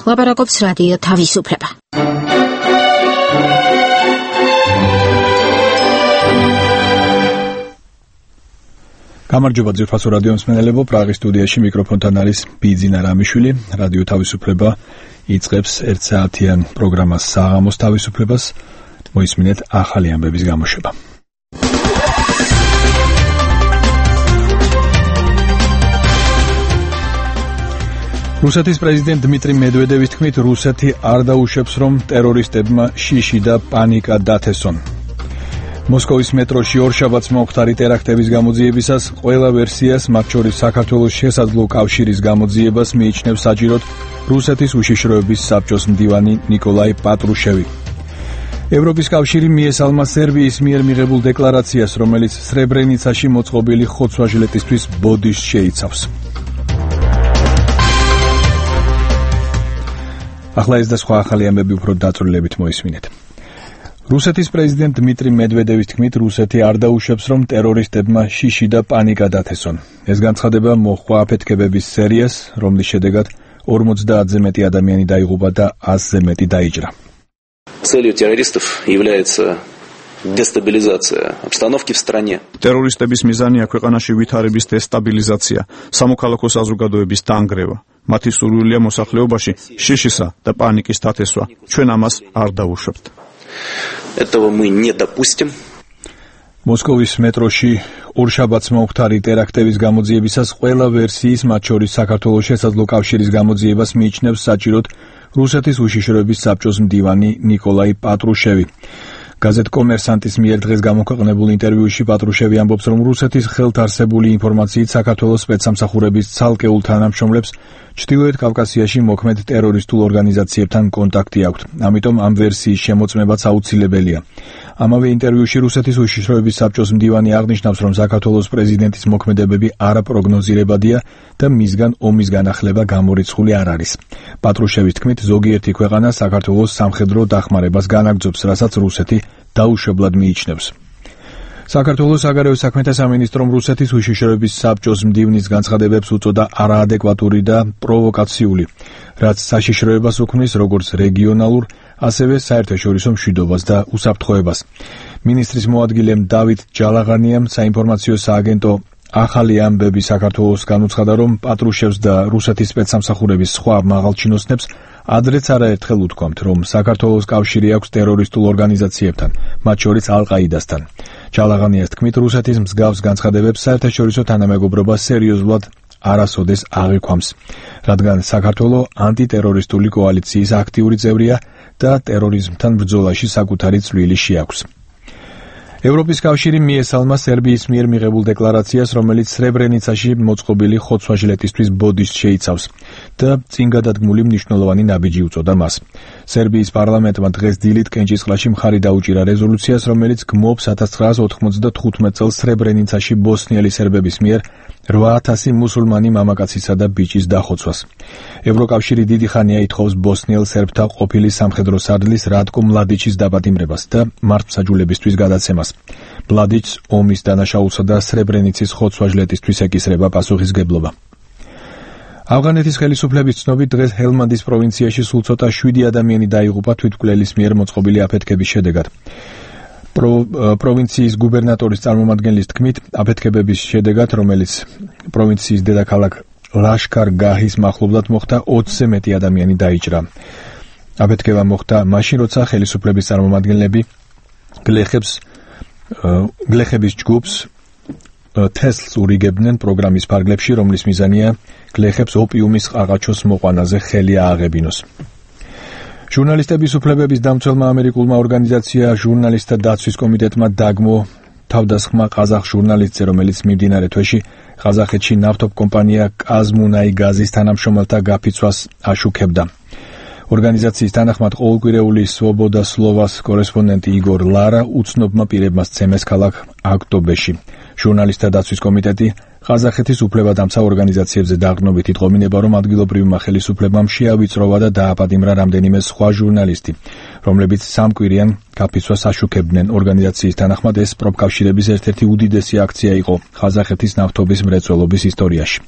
ლაპარაკობს რადიო თავისუფლება. გამარჯობა ძვირფასო რადიო მსმენელებო, პრაღის სტუდიაში მიკროფონთან არის ბიძინა რამიშვილი. რადიო თავისუფლება იწყებს 1 საათიან პროგრამას საღამოს თავისუფლებას. მოისმინეთ ახალი ამბების გამოშვება. რუსეთის პრეზიდენტ დმიტრი მედვედევის თქმით, რუსეთი არ დაუშვებს, რომ ტერორისტებმა შიში და პანიკა დათესონ. მოსკოვის მეტროში ორშაბათს მომხდარი ტერაქტების გამოძიებისას ყველა ვერსიას, მათ შორის საქართველოს შესაძლო კავშირის გამოძიებას მიიჩნევს საჭიროდ რუსეთის უშიშროების საბჭოს მდივანი ნიკოლაი პატრუშევი. ევროპის კავშირი მიესალმა სერბიის მიერ მიღებულ დეკლარაციას, რომელიც სრებრენიცაში მოწყობილი ხოცვა-ჟილეტისთვის ბოდიშს შეიცავს. ახლა ეს და სხვა ახალი ამბები უფრო დაწვრილებით მოისმინეთ. რუსეთის პრეზიდენტ დმიტრი მედვედევის თქმით, რუსეთი არ დაუშვებს, რომ ტერორისტებმა შიში და პანიკა დათესონ. ეს განცხადება მოჰყვა აფეთქებების სერიას, რომლის შედეგად 50-ზე მეტი ადამიანი დაიღუპა და 100-ზე მეტი დაიჭრა. Целью террористов является дестабилизация обстановки в стране. Ტერორისტების მიზანია ქვეყანაში ვითარების დესტაბილიზაცია, სამოქალაქო საზოგადოების დანგრევა. მათი სურვილია მოსახლეობაში შიშისა და პანიკის დათესვა. ჩვენ ამას არ დაუშვებთ. Этого мы не допустим. მოსკოვის მეტროში ორშაბათს მომხდარი ტერაქტების გამოძიებისას ყველა ვერსიის, მათ შორის საქართველოს შესაძლო კავშირის გამოძიებას მიიჩნევს საჭიროდ რუსეთის უშიშროების საბჭოს მდივანი ნიკოლაი პატრუშევი. გაზეთ კომერსანტის მიერ დღეს გამოქვეყნებულ ინტერვიუში პატრუშევი ამბობს, რომ რუსეთის ხელთ არსებული ინფორმაციით საქართველოს სპეცსამსახურების ცალკეულ თანამშრომლებს ჩრდილოეთ კავკასიაში მოქმედ ტერორისტულ ორგანიზაციებთან კონტაქტი აქვთ. ამიტომ ამ ვერსიის შემოწმებაც აუცილებელია. ამავე ინტერვიუში რუსეთის უშიშროების საბჭოს მდივანი აღნიშნავს, რომ საქართველოს პრეზიდენტის მოქმედებები არაპროგნოზირებადია და მისგან ომის განახლება გამორიცხული არ არის. პატრუშევის თქმით, ზოგიერთი ქვეყანა საქართველოს სამხედრო დახმარებას განაგრძობს, რასაც რუსეთი დაუშვებლად მიიჩნევს. საქართველოს საგარეო საქმეთა სამინისტრომ რუსეთის უშიშროების საბჭოს მდივნის განცხადებებს უწოდა არაადეკვატური და პროვოკაციული, რაც საშიშროებას უქმნის როგორც რეგიონალურ, ასევე საერთაშორისო მშვიდობას და უსაფრთხოებას. მინისტრის მოადგილემ დავით ჯალაღანიამ საინფორმაციო სააგენტო ახალი ამბები საქართველოს განუცხადა, რომ პატრუშევს და რუსეთის სპეცსამსახურების სხვა მაღალჩინოსნებს ადრეც არაერთხელ უთქვამთ, რომ საქართველოს კავშირი აქვს ტერორისტულ ორგანიზაციებთან, მათ შორის ალ-ყაიდასთან. ჯალაღანიას თქმით, რუსეთის მსგავს განცხადებებს საერთაშორისო თანამეგობრობა სერიოზულად არასოდეს აღიქვამს, რადგან საქართველო ანტიტერორისტული კოალიციის აქტიური წევრია და ტერორიზმთან ბრძოლაში საკუთარი წვლილი შეაქვს. ევროპის კავშირი მიესალმა სერბიის მიერ მიღებულ დეკლარაციას, რომელიც სრებრენიცაში მოწყობილი ხოცვა-ჟილეტისთვის ბოდიშს შეიცავს და წინ გადადგმული მნიშვნელოვანი ნაბიჯი უწოდა მას. სერბიის პარლამენტმა დღეს დილით კენჭისყრაში მხარი დაუჭირა რეზოლუციას, რომელიც გმობს 1995 წელს სრებრენიცაში ბოსნიელი სერბების მიერ 8000 მუსულმანი მამაკაცისა და ბიჭის დახოცვას. ევროკავშირი დიდი ხანია ითხოვს ბოსნიელ სერბთა ყოფილი სამხედრო სარდლის რატკო მლადიჩის დაპატიმრებას და მართლმსაჯულებისთვის გადაცემას. მლადიჩს ომის დანაშაულსა და სრებრენიცის ხოცვა-ჟილეტისთვის ეკისრება პასუხისგებლობა. ავღანეთის ხელისუფლების ცნობით, დღეს ჰელმანდის პროვინციაში სულ ცოტა 7 ადამიანი დაიღუპა თვითმკვლელის მიერ მოწყობილი აფეთქების შედეგად. პროვინციის გუბერნატორის წარმომადგენლის თქმით, აფეთქებების შედეგად, რომელიც პროვინციის დედაქალაქ ლაშქარ-გაჰის მახლობლად მოხდა, 20-ზე მეტი ადამიანი დაიჭრა. აფეთქება მოხდა მაშინ, როცა ხელისუფლების წარმომადგენლები გლეხების ჯგუფს თესლს ურიგებდნენ პროგრამის ფარგლებში, რომლის მიზანია გლეხებს ოპიუმის ყაყაჩოს მოყვანაზე ხელი ააღებინოს. ჟურნალისტების უფლებების დამცველმა ამერიკულმა ორგანიზაცია ჟურნალისტთა დაცვის კომიტეტმა დაგმო თავდასხმა ყაზახ ჟურნალისტზე, რომელიც მიმდინარე თვეში ყაზახეთში ნავთობ კომპანია კაზმუნაიგაზის თანამშრომელთა გაფიცვას აშუქებდა. ორგანიზაციის თანახმად ყოველკვირეული სვობოდა სლოვას კორესპონდენტი იგორ ლარა უცნობმა პირებმა სცემეს ქალაქ აქტობეში. ჟურნალისტთა დაცვის კომიტეტი ყაზახეთის უფლებადამცა ორგანიზაციებზე დაყრდნობით იტყობინება, რომ ადგილობრივმა ხელისუფლებამ შეავიწროვა და დააპატიმრა რამდენიმე სხვა ჟურნალისტი, რომლებიც სამკვირიან გაფიცვას აშუქებდნენ. ორგანიზაციის თანახმად ეს პროფკავშირების ერთ-ერთი უდიდესი აქცია იყო ყაზახეთის ნავთობის მრეწველობის ისტორიაში.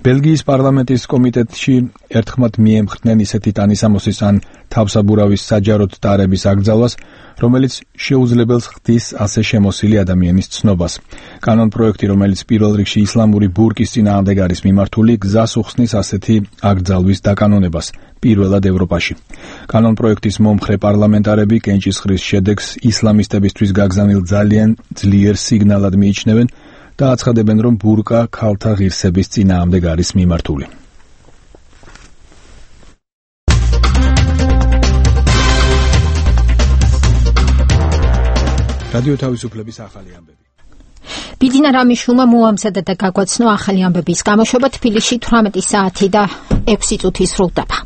ბელგიის პარლამენტის კომიტეტში ერთხმად მიემხრნენ ისეთი ტანისამოსის ან თავსაბურავის საჯაროდ ტარების აკრძალვას, რომელიც შეუძლებელს ხდის ასე შემოსილი ადამიანის ცნობას. კანონპროექტი, რომელიც პირველ რიგში ისლამური ბურკის წინააღმდეგ არის მიმართული, გზას უხსნის ასეთი აკრძალვის დაკანონებას პირველად ევროპაში. კანონპროექტის მომხრე პარლამენტარები კენჭისყრის შედეგს ისლამისტებისთვის გაგზავნილ ძალიან ძლიერ სიგნალად მიიჩნევენ და აცხადებენ, რომ ბურკა ქალთა ღირსების წინააღმდეგ არის მიმართული. რადიო თავისუფლების ახალი ამბები. ბიძინა რამიშვილმა მოამზადა და გაგვაცნო ახალი ამბების გამოშვება. თბილისში 18 საათი და 6 წუთი სრულდება.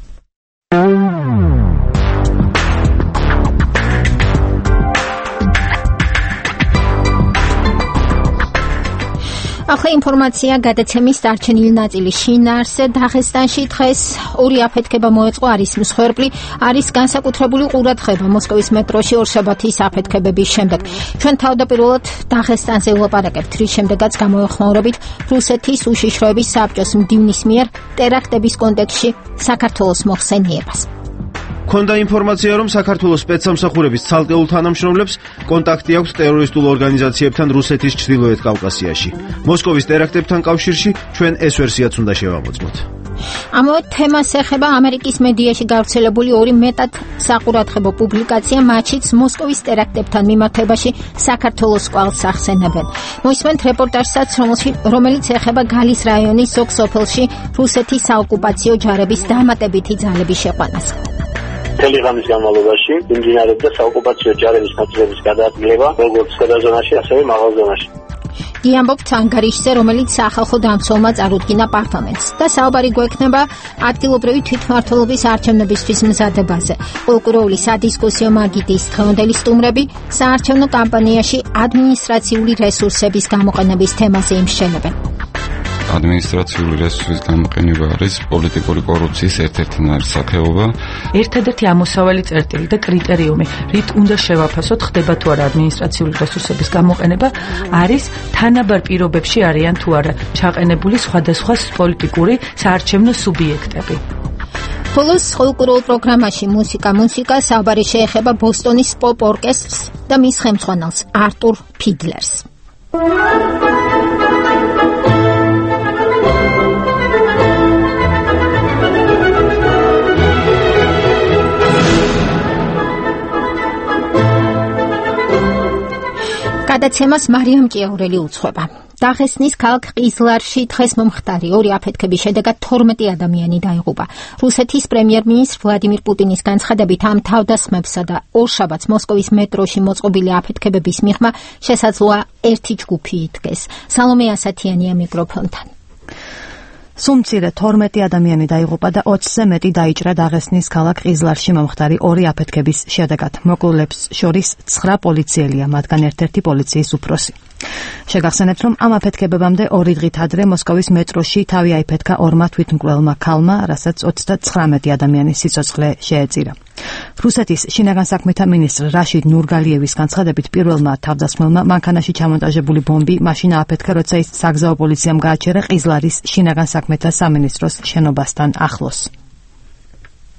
ახლა ინფორმაცია გადაცემის დარჩენილი ნაწილის შინაარსზე. დაღესტანში დღეს ორი აფეთქება მოეწყო. არის მსხვერპლი, არის განსაკუთრებული ყურადღება მოსკოვის მეტროში ორშაბათის აფეთქებების შემდეგ. ჩვენ თავდაპირველად დაღესტანზე ვლაპარაკებთ, რის შემდეგაც გამოეხმაურებით რუსეთის უშიშროების საბჭოს მდივნის მიერ ტერაქტების კონტექსტში საქართველოს მოხსენიებას. ქონდა ინფორმაცია, რომ საქართველოს სპეცსამსახურების ცალკეულ თანამშრომლებს კონტაქტი აქვს ტერორისტულ ორგანიზაციებთან რუსეთის ჩრდილოეთ კავკასიაში. მოსკოვის ტერაქტებთან კავშირში ჩვენ ეს ვერსიაც უნდა შევამოწმოთ. ამავე თემას ეხება ამერიკის მედიაში გავრცელებული ორი მეტად საყურადღებო პუბლიკაცია, მათშიც მოსკოვის ტერაქტებთან მიმართებაში საქართველოს კვალს ახსენებენ. მოისმენთ რეპორტაჟსაც, რომელიც ეხება გალის რაიონის ზოგ სოფელში რუსეთის საოკუპაციო ჯარების დამატებითი ძალების შეყვანას. მთელი ღამის განმავლობაში მიმდინარეობდა საოკუპაციო ჯარების ნაწილების გადაადგილება როგორც გადაზონაში, ასევე მაღალ ზონაში. გიამბობთ ანგარიშზე, რომელიც სახალხო დამცველმა წარუდგინა პარლამენტს და საუბარი გვექნება ადგილობრივი თვითმმართველობის არჩევნებისთვის მზადებაზე. პოლკუროული სადისკუსიო მაგიდის დღევანდელი სტუმრები საარჩევნო კამპანიაში ადმინისტრაციული რესურსების გამოყენების თემაზე იმსჩენებენ. ადმინისტრაციული რესურსის გამოყენება არის პოლიტიკური კორუფციის ერთ-ერთი ნარსახეობა. ერთადერთი ამოსავალი წერტილი და კრიტერიუმი, რით უნდა შევაფასოთ, ხდება თუ არა ადმინისტრაციული რესურსების გამოყენება, არის თანაბარ პირობებში არიან თუ არა ჩაყენებული სხვადასხვა პოლიტიკური საარჩევნო სუბიექტები. ხოლოს პოლკუროულ პროგრამაში მუსიკა საუბარი შეეხება ბოსტონის პოპ ორკესტრს და მის ხელმძღვანელს არტურ ფიდლერს. გადაცემას მარიამ ჭიაურელი უძღვება. დაღესტნის ქალაქ ყიზლარში დღეს მომხდარი ორი აფეთქების შედეგად 12 ადამიანი დაიღუპა. რუსეთის პრემიერ-მინისტრ ვლადიმირ პუტინის განცხადებით, ამ თავდასხმებსა და ორშაბათს მოსკოვის მეტროში მოწყობილი აფეთქებების მიღმა შესაძლოა ერთი ჯგუფი იდგეს. სალომე ასათიანია მიკროფონთან. სულ მცირე 12 ადამიანი დაიღუპა და 20-ზე მეტი დაიჭრა დაღესტნის ქალაქ ყიზლარში მომხდარი ორი აფეთქების შედეგად. მოკლულებს შორის 9 პოლიციელია, მათგან ერთ-ერთი პოლიციის უფროსი. შეგახსენებთ, რომ ამ აფეთქებებამდე 2 დღით ადრე მოსკოვის მეტროში თავი აიფეთქა ორმა თვითმკვლელმა ქალმა, რასაც 39 ადამიანის სიცოცხლე შეეწირა. რუსეთის შინაგან საქმეთა მინისტრ რაშიდ ნურგალიევის განცხადებით, პირველმა თავდასხმელმა მანქანაში ჩამონტაჟებული ბომბი მაშინ ააფეთქა, როცა ის საგზაო პოლიციამ გააჩერა ყიზლარის შინაგან საქმეთა სამინისტროს შენობასთან ახლოს.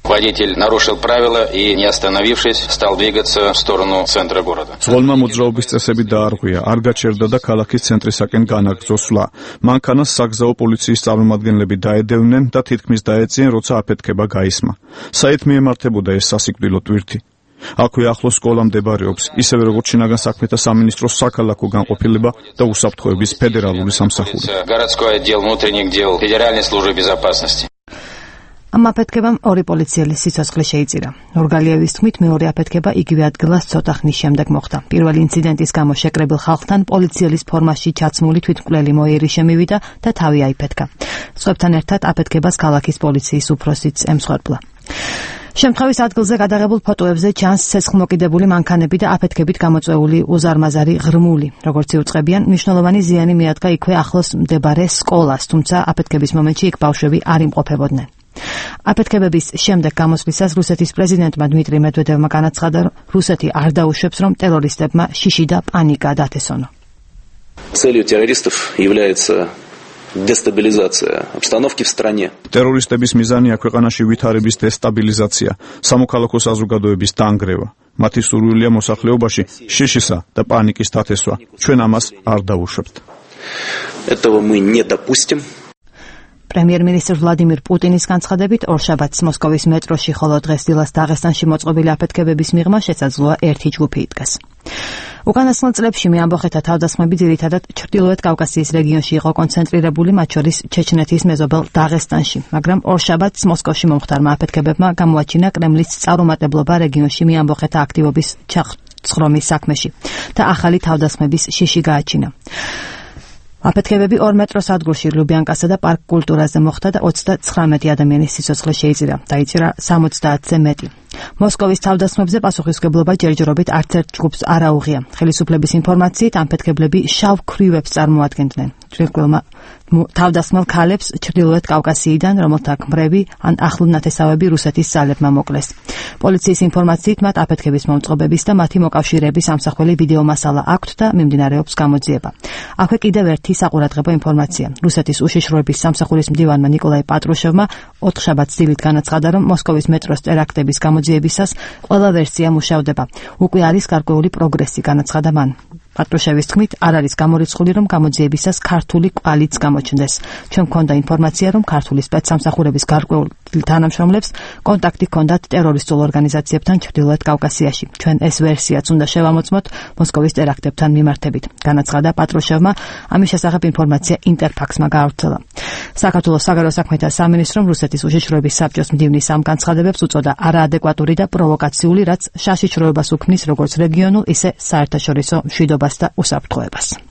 Водитель нарушил правила и, не остановившись, стал двигаться в сторону центра города. Ზღოლმა მოძრაობის წესები დაარღვია, არ გაჩერდა და ქალაქის ცენტრისაკენ განაგრძო სვლა. მანქანას საგზაო პოლიციის წარმომადგენლები დაედევნენ და თითქმის დაეწიენ, როცა აფეთქება გაისმა. საით მიემართებოდა ეს სასიკვდილო ტვირთი? აქვე ახლოს სკოლა მდებარეობს, ისევე როგორც შინაგან საქმეთა სამინისტროს საქალაქო განყოფილება და უსაფრთხოების ფედერალური სამსახური. Городской отдел внутренних дел Федеральной службы безопасности. ამ აფეთქებამ ორი პოლიციელის სიცოცხლე შეიწირა. ნურგალიევის თქმით, მეორე აფეთქება იგივე ადგილას ცოტა ხნის შემდეგ მოხდა. პირველი ინციდენტის გამო შეკრებილ ხალხთან პოლიციელის ფორმაში ჩაცმული თვითმკვლელი მოიერი შემივიდა და თავი აიფეთქა. სხვებთან ერთად აფეთქებას ქალაქის პოლიციის უფროსიც ემსხვერპლა. შემთხვევის ადგილზე გადაღებულ ფოტოებზე ჩანს ცეცხლმოკიდებული მანქანები და აფეთქებით გამოწვეული უზარმაზარი ღრმული. როგორც იუწყებიან, მნიშვნელოვანი ზიანი მიადგა იქვე ახლოს მდებარე სკოლას, თუმცა აფეთქების მომენტში იქ ბავშვები არ იმყოფებოდნენ. აფეთქებების შემდეგ გამოსვლისას რუსეთის პრეზიდენტმა დმიტრი მედვედევმა განაცხადა, რომ რუსეთი არ დაუშვებს, რომ ტერორისტებმა შიში და პანიკა დათესონო. Целью террористов является дестабилизация обстановки в стране. Террористების მიზანია ქვეყანაში ვითარების დესტაბილიზაცია, სამოქალაქო საზოგადოების დანგრევა. მათი სურვილია მოსახლეობაში შიშისა და პანიკის დათესვა. ჩვენ ამას არ დავუშვებთ. Этого мы не допустим. პრემიერ-მინისტр ვლადიმირ პუტინის განცხადებით, ორშაბათს მოსკოვის მეტროში, ხოლო დღეს დილას დაღესტანში მოწყობილი აფეთქებების მიღმა შესაძლოა ერთი ჯგუფი იდგას. უკანასკნელ წლებში მეამბოხეთა თავდასხმები ძირითადად ჩრდილოეთ კავკასიის რეგიონში იყო კონცენტრირებული, მათ შორის ჩეჩნეთის მეზობელ დაღესტანში, მაგრამ ორშაბათს მოსკოვში მომხდარმა აფეთქებებმა გამოაჩინა კრემლის წარუმატებლობა რეგიონში მეამბოხეთა აქტივობის ჩახცხრომის საქმეში და ახალი თავდასხმების შიში გააჩინა. აფეთქებები 2 მეტროს ადგილში ლუბიანკასა და პარკ კულტურაზე მოხდა და 39 ადამიანის სიცოცხლე შეიწირა. დაიჭირა 70-ზე მეტი. მოსკოვის თავდასხმებზე პასუხისმგებლობა ჯერჯერობით არც ერთ ჯგუფს არ აუღია. ხელისუფლების ინფორმაციით, ამფეთქებლები შავ ქვრივებს წარმოადგენდნენ. ჯგუფმა თავდასხმელ ქალებს ჩრდილოეთ კავკასიიდან, რომელთა ქმრები ან ახლონათესავები რუსეთის ძალებმა მოკლეს. პოლიციის ინფორმაციით, მათ აფეთქების მომწყობების და მათი მოკავშირეების ამსახველი ვიდეო მასალა აქვთ და მიმდინარეობს გამოძიება. აქვე კიდევ ერთი საყურადღებო ინფორმაცია. რუსეთის უშიშროების სამსახურის მდივანმა ნიკოლაი პატრუშევმა 4 შაბათს დილით განაცხადა, რომ მოსკოვის მეტროს ტერაქტების გამოძიებისას ყველა ვერსია მუშავდება. უკვე არის გარკვეული პროგრესი, განაცხადა მან. პატრუშევის თქმით, არ არის გამორიცხული, რომ გამოძიებისას ქართული კვალიც გამოჩნდეს. ჩვენ გვქონდა ინფორმაცია, რომ ქართული სპეცსამსახურების გარკვეულ თანამშრომლებს კონტაქტი ჰქონდათ ტერორისტულ ორგანიზაციებთან ჩრდილოეთ კავკასიაში. ჩვენ ეს ვერსიაც უნდა შევამოწმოთ მოსკოვის ტერაქტებთან მიმართებით, განაცხადა პატრუშევმა. ამის შესახებ ინფორმაცია ინტერფაქსმა გაავრცელა. საქართველოს საგარეო საქმეთა სამინისტრომ რუსეთის უშიშროების საბჭოს მდივნის ამ განცხადებებს უწოდა არაადეკვატური და პროვოკაციული, რაც შაშიშროებას უქმნის როგორც რეგიონულ, ისე საერთაშორისო მშვიდობას და უსაფრთხოებას.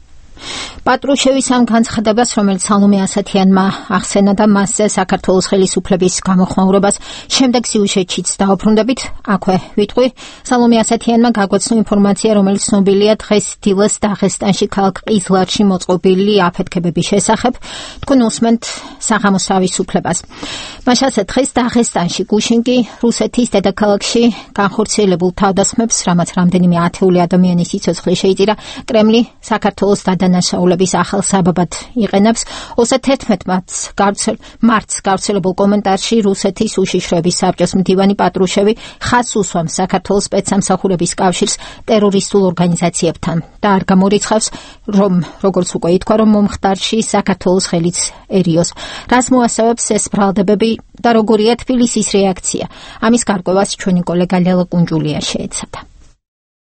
პატრუშევის ამ განცხადებას, რომელიც სალომე ასათიანმა ახსენა და მასზე საქართველოს ხელისუფლების გამოხმაურებას შემდეგ სიუჟეტშიც დაუბრუნდებით, აქვე ვიტყვი. სალომე ასათიანმა გაგვაცნო ინფორმაცია, რომელიც ცნობილია დღეს დილას დაღესტანში ქალაქ ყიზლარში მოწყობილი აფეთქებების შესახებ. თქვენ უსმენთ საღამოს თავისუფლებას. მაშასე დღეს დაღესტანში გუშინგი რუსეთის დედაქალაქში განხორციელებულ თავდასხმებს, რამაც რამდენიმე ათეული ადამიანის სიცოცხლე შეიწირა, კრემლი საქართველოს დანაშაულების ახალ საბაბად იყენებს. 31 მარტს გავრცელებულ კომენტარში რუსეთის უშიშროების საბჭოს მდივანი პატრუშევი ხაზს უსვამს საქართველოს სპეცსამსახურების კავშირს ტერორისტულ ორგანიზაციებთან და არ გამორიცხავს, რომ როგორც უკვე ითქვა, რომ მომხდარში საქართველოს ხელიცერიოს. რას მოასწავებს ეს ბრალდებები და როგორია თბილისის რეაქცია? ამის გარკვევას ჩვენი კოლეგა ლელა კუნჯულია შეეცადა.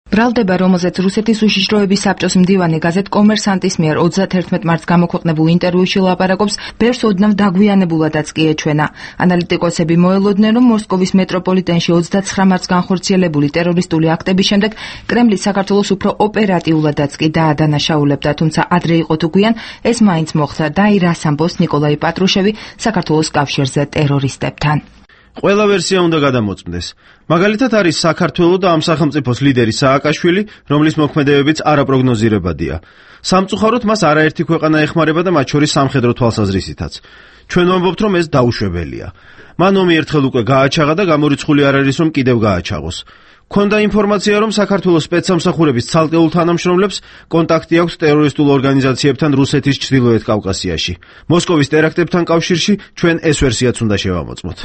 ბრალდება, რომელზეც რუსეთის უშიშროების საბჭოს მდივანი გაზეთ კომერსანტის მიერ 31 მარტს გამოქვეყნებულ ინტერვიუში ლაპარაკობს, ბევრს ოდნავ დაგვიანებულადაც კი ეჩვენა. ანალიტიკოსები მოელოდნენ, რომ მოსკოვის მეტროპოლიტენში 29 მარტს განხორციელებული ტერორისტული აქტების შემდეგ კრემლი საქართველოს უფრო ოპერატიულადაც კი დაადანაშაულებდა, თუმცა ადრე იყო თუ გვიან ეს მაინც მოხდა და რას ამბობს ნიკოლაი პატრუშევი საქართველოს კავშირზე ტერორისტებთან. ყველა ვერსია უნდა გადამოწმდეს. მაგალითად არის საქართველოს და ამ სახელმწიფოს ლიდერი სააკაშვილი, რომლის მოქმედებებიც არაპროგნოზირებადია. სამწუხაროდ მას არაერთი ქვეყანა ეხმარება და მათ შორის სამხედრო თვალსაზრისითაც. ჩვენ ვამბობთ, რომ ეს დაუშვებელია. მან ომი ერთხელ უკვე გააჩაღა და გამორიცხული არ არის, რომ კიდევ გააჩაღოს. ქონდა ინფორმაცია, რომ საქართველოს სპეცსამსახურების ცალკეულ თანამშრომლებს კონტაქტი აქვს ტერორისტულ ორგანიზაციებთან რუსეთის ჩრდილოეთ კავკასიაში. მოსკოვის ტერაქტებთან კავშირში ჩვენ ეს ვერსიაც უნდა შევამოწმოთ.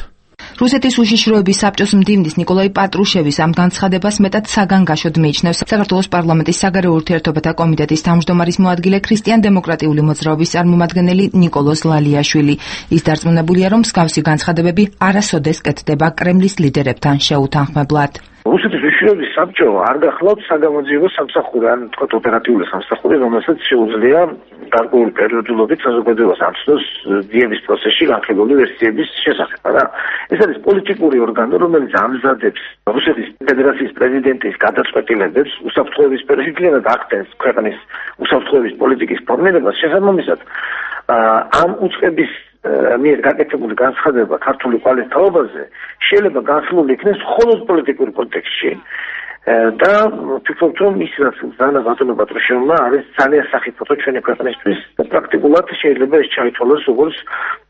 რუსეთის უშიშროების საბჭოს მდივნის ნიკოლაი პატრუშევის ამ განცხადებას მეტად საგანგაშოდ მიიჩნევს საქართველოს პარლამენტის საგარეო ურთიერთობათა კომიტეტის თავმჯდომარის მოადგილე ქრისტიან-დემოკრატიული მოძრაობის წარმომადგენელი ნიკოლოზ ლალიაშვილი. ის დარწმუნებულია, რომ მსგავსი განცხადებები არასოდეს კეთდება კრემლის ლიდერებთან შეუთანხმებლად. რუსეთის უშიშროების საბჭო არ გახლავთ საგამოძიებო სამსახური, ან თქვათ ოპერატიული სამსახური, რომელსაც შეუძლია გარკვეული პერიოდულობით საზოგადოებას ამცნოს ძიების პროცესში განხილული ვერსიების შესახებ. ეს არის პოლიტიკური ორგანო, რომელიც ამზადებს რუსეთის ფედერაციის პრეზიდენტის გადაწყვეტილებებს უსაფრთხოების სფეროში, ძლიერ ახდენს ქვეყნის უსაფრთხოების პოლიტიკის ფორმირებას. შესაბამისად, ამ უწყების მიერ გაკეთებული განცხადება ქართული კვალის თაობაზე შეიძლება განსხვავებული იქნეს მხოლოდ პოლიტიკური კონტექსტში და ვფიქრობ, რომ ის რაც ზანა ბატონო პატრუშევმა არის ძალიან სახიფათო ჩვენი ქვეყნისთვის და პრაქტიკულად შეიძლება ეს ჩაითვალოს როგორც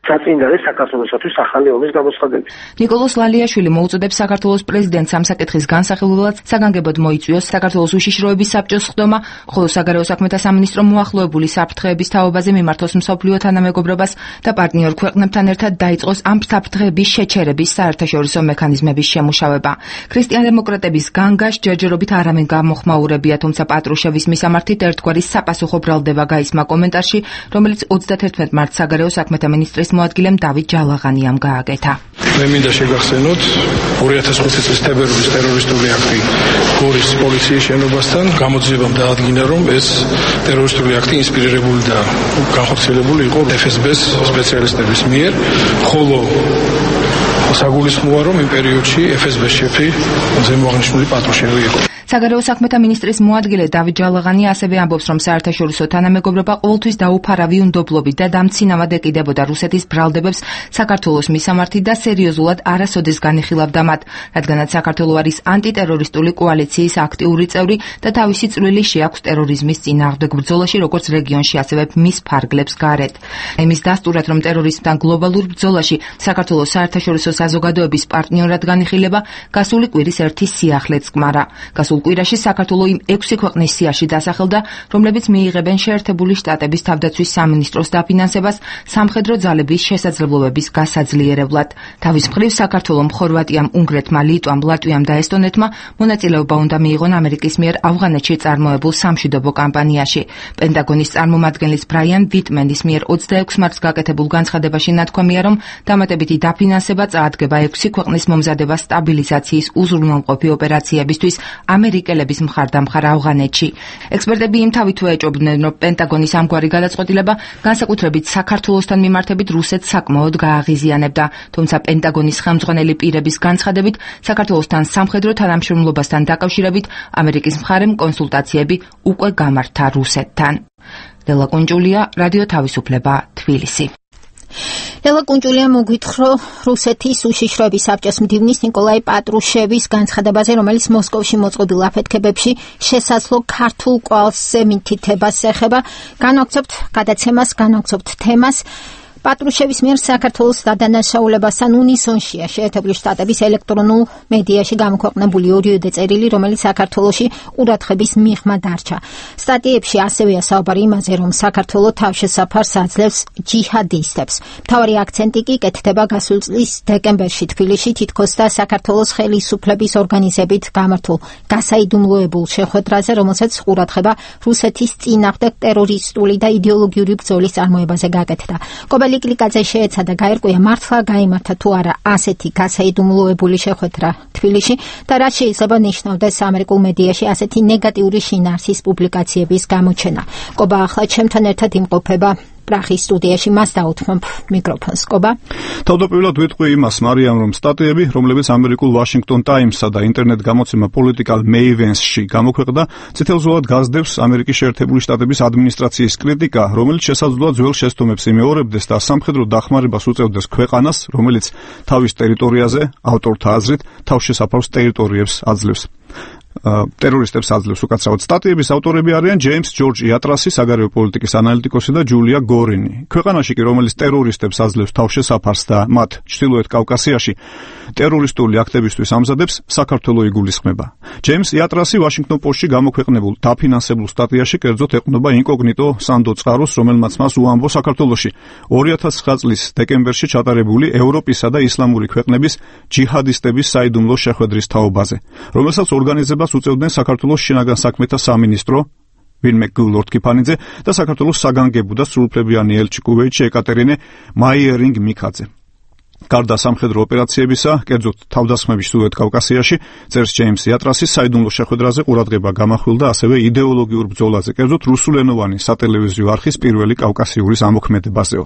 საწინდარი საქართველოსთვის ახალი ომის გამოსხადები. ნიკოლოზ ლალიაშვილი მოუწოდებს საქართველოს პრეზიდენტს ამ საკითხის განსახილველად საგანგებოდ მოიწვიოს საქართველოს უშიშროების საბჭოს ხდომა, ხოლო საგარეო საქმეთა სამინისტრო მოახლოებული საფრთხეების თაობაზე მიმართოს მსოფლიო თანამეგობრობას და პარტნიორ ქვეყნებთან ერთად დაიწყოს ამ საფრთხეების შეჩერების საერთაშორისო მექანიზმების შემუშავება. ქრისტიან-დემოკრატების განგაშ ჯერჯერობით არ ამენ გამოხმაურებია, თუმცა პატრუშევის მისამართით ერთგვარი sapasukho ბრალდება გაისმა კომენტარში, რომელიც 31 მარტს საგარეო საქმეთა მინისტრის მოადგილემ დავით ჯალაღანიამ გააკეთა. მე მინდა შეგახსენოთ 2005 წლის თებერვლის ტერორისტული აქტი გორის პოლიციის შენობასთან გამოძიებამ დაადგინა, რომ ეს ტერორისტული აქტი ინსპირირებული და განხორციელებული იყო FSB-ს სპეციალისტების მიერ, ხოლო საგულისხმოა, რომ იმ პერიოდში FSB-ს შეფი ზემოაღნიშნული პატრუშევი იყო. საგარეო საქმეთა მინისტრის მოადგილე დავით ჯალაღანი ასევე ამბობს, რომ საერთაშორისო თანამეგობრობა ყოველთვის დაუფარავი უნდობლობით და დამცინავად ეკიდებოდა რუსეთის ბრალდებებს საქართველოს მისამართით და სერიოზულად არასოდეს განიხილავდა მათ, რადგანაც საქართველო არის ანტიტერორისტული კოალიციის აქტიური წევრი და თავისი წვლილი შეაქვს ტერორიზმის წინააღმდეგ ბრძოლაში, როგორც რეგიონში, ასევე მის ფარგლებს გარეთ. იმის დასტურად, რომ ტერორიზმთან გლობალურ ბრძოლაში საქართველოს საერთაშორისო საზოგადოების პარტნიორად განიხილება, გასული კვირის ერთი სიახლეც კმარა. გასულ კვირაში საქართველო იმ 6 ქვეყნის სიაში დასახელდა, რომლებიც მიიღებენ შეერთებული შტატების თავდაცვის სამინისტროს დაფინანსებას სამხედრო ძალების შესაძლებლობების გასაძლიერებლად. თავის მხრივ საქართველომ, ხორვატიამ, უნგრეთმა, ლიტვამ, ლატვიამ და ესტონეთმა მონაწილეობა უნდა მიიღონ ამერიკის მიერ ავღანეთში წარმოებულ სამშვიდობო კამპანიაში. პენტაგონის წარმომადგენლის ბრაიან ვიტმენის მიერ 26 მარტს გაკეთებულ განცხადებაში ნათქვამია, რომ დამატებითი დაფინანსება წაადგება 6 ქვეყნის მომზადება სტაბილიზაციის უზრუნველყოფი ოპერაციებისთვის ამერიკელების მხარდამხარ ავღანეთში. ექსპერტები იმ თავითვე ეჭობდნენ, რომ პენტაგონის ამგვარი გადაწყვეტილება განსაკუთრებით საქართველოსთან მიმართებით რუსეთს საკმაოდ გააღიზიანებდა, თუმცა პენტაგონის ხელმძღვანელი პირების განცხადებით, საქართველოსთან სამხედრო თანამშრომლობასთან დაკავშირებით ამერიკის მხარემ კონსულტაციები უკვე გამართა რუსეთთან. ლელა კუნჯულია, რადიო თავისუფლება, თბილისი. ლელა კუნჯულია მოგვითხრა რუსეთის უშიშროების საბჭოს მდივნის ნიკოლაი პატრუშევის განცხადებაზე, რომელიც მოსკოვში მოწყობილ აფეთქებებში შესაძლო ქართულ კვალზე მითითებას ეხება. განვაგრძობთ თემას. პატრუშევის მიერ საქართველოს დადანაშაულებასთან უნისონშია შეერთებული შტატების ელექტრონულ მედიაში გამოქვეყნებული ორიოდე წერილი, რომელიც საქართველოში ყურადღების მიღმა დარჩა. სტატიებში ასევეა საუბარი იმაზე, რომ საქართველო თავშესაფარს აძლევს ჯიჰადისტებს. მთავარი აქცენტი კი კეთდება გასულ წლის დეკემბერში თბილისში თითქოს და საქართველოს ხელისუფლების ორგანიზებით გამართულ გასაიდუმლოებულ შეხვედრაზე, რომელსაც ყურადღება რუსეთის წინააღმდეგ ტერორისტული და იდეოლოგიური ბრძოლის წარმოებაზე გაკეთდა. ლიკლიკაძე შეეცადა გაერკვია, მართლა გაიმართა თუ არა ასეთი გასაიდუმლოებული შეხვედრა თბილისში და რა შეიძლება ნიშნავდეს ამერიკულ მედიაში ასეთი ნეგატიური შინაარსის პუბლიკაციების გამოჩენა. კობა ახლა ჩემთან ერთად იმყოფება პრაღის სტუდიაში, მას დაუთმობ მიკროფონს. კობა. თავდაპირველად ვიტყვი იმას, მარიამ, რომ სტატიები, რომლებიც ამერიკულ Washington Times-სა და ინტერნეტ გამოცემა Political Mavens-ში გამოქვეყნდა, წითელზოლად გაზდევს ამერიკის შეერთებული შტატების ადმინისტრაციის კრიტიკა, რომელიც შესაძლოა ძველ შეცდომებს იმეორებდეს და სამხედრო დახმარებას უწევდეს ქვეყანას, რომელიც თავის ტერიტორიაზე, ავტორთა აზრით, თავშესაფარს ტერიტორიებს აძლევს. ტერორისტებს აძლევს უკაცრავად. სტატიების ავტორები არიან ჯეიმს ჯორჯ იატრასი, საგარეო პოლიტიკის ანალიტიკოსი და ჯულია გორინი. ქვეყანაში კი, რომელიც ტერორისტებს აძლევს თავშესაფარს და მათ ჩრდილოეთ კავკასიაში ტერორისტული აქტებისთვის ამზადებს, საქართველო იგულისხმება. ჯეიმს იატრასი Washington Post-ში გამოქვეყნებულ დაფინანსებულ სტატიაში კერძოდ ეყრდნობა ინკოგნიტო სანდო წყაროს, რომელმაც მას უამბო საქართველოში 2009 წლის დეკემბერში ჩატარებული ევროპისა და ისლამური ქვეყნების ჯიჰადისტების საიდუმლო შეხვედრის თაობაზე, რომელსაც ორგანიზებას უწევდნენ საქართველოს შინაგან საქმეთა სამინისტრო ვინმე გულორთქიფანიძე და საქართველოს საგანგებო და სრულუფლებიანი ელჩი კუვეითში ეკატერინე მაიერინგ-მიქაძე. გარდა სამხედრო ოპერაციებისა, კერძოდ თავდასხმების ჩრდილოეთ კავკასიაში, წერს ჯეიმს იატრასის საიდუმლო შეხვედრაზე ყურადღება გამახვილდა ასევე იდეოლოგიურ ბრძოლაზე, კერძოდ რუსულენოვანი სატელევიზიო არხის პირველი კავკასიურის ამოქმედებაზეო.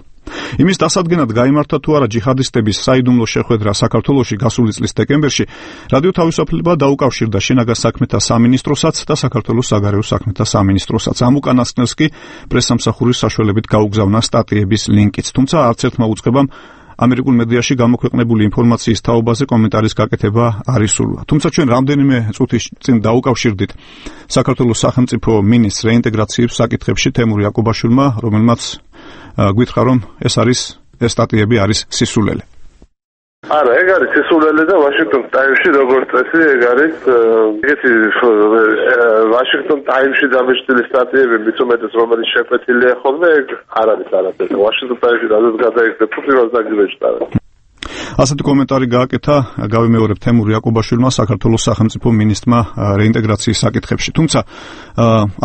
იმის დასადგენად გაიმართა თუ არა ჯიჰადისტების საიდუმლო შეხვედრა საქართველოში გასული წლის დეკემბერში, რადიო თავისუფლება დაუკავშირდა შინაგან საქმეთა სამინისტროსაც და საქართველოს საგარეო საქმეთა სამინისტროსაც. ამ უკანასკნელს კი პრესსამსახურის საშუალებით გაუგზავნა სტატიების ლინკიც, თუმცა არც ერთმა უწყებამ ამერიკულ მედიაში გამოქვეყნებული ინფორმაციის თაობაზე კომენტარის გაკეთება არ ისურვა. თუმცა ჩვენ რამდენიმე წუთის წინ დაუკავშირდით საქართველოს სახელმწიფო მინისტრს რეინტეგრაციის საკითხებში თემურ იაკობაშვილმა, რომელმაც გითხრა, რომ ეს სტატიები არის სისულელე. არა, ეგ არის სისულელე და ვაშინგტონ ტაიმსში როგორც წესი ეგ არის ეგეთი ვაშინგტონ ტაიმსში დამეშტილი სტატიები მით უმეტეს რომელიც შეკვეთილია ხოლმე ეგ არ არის არაფერი. ვაშინგტონ ტაიმსში რადგან გადაიხდა თუ პირველ დაგიჟდა. ასეთი კომენტარი გააკეთა, გავიმეორებ, თემურ იაკობაშვილმა საქართველოს სახელმწიფო მინისტრმა რეინტეგრაციის საკითხებში. თუმცა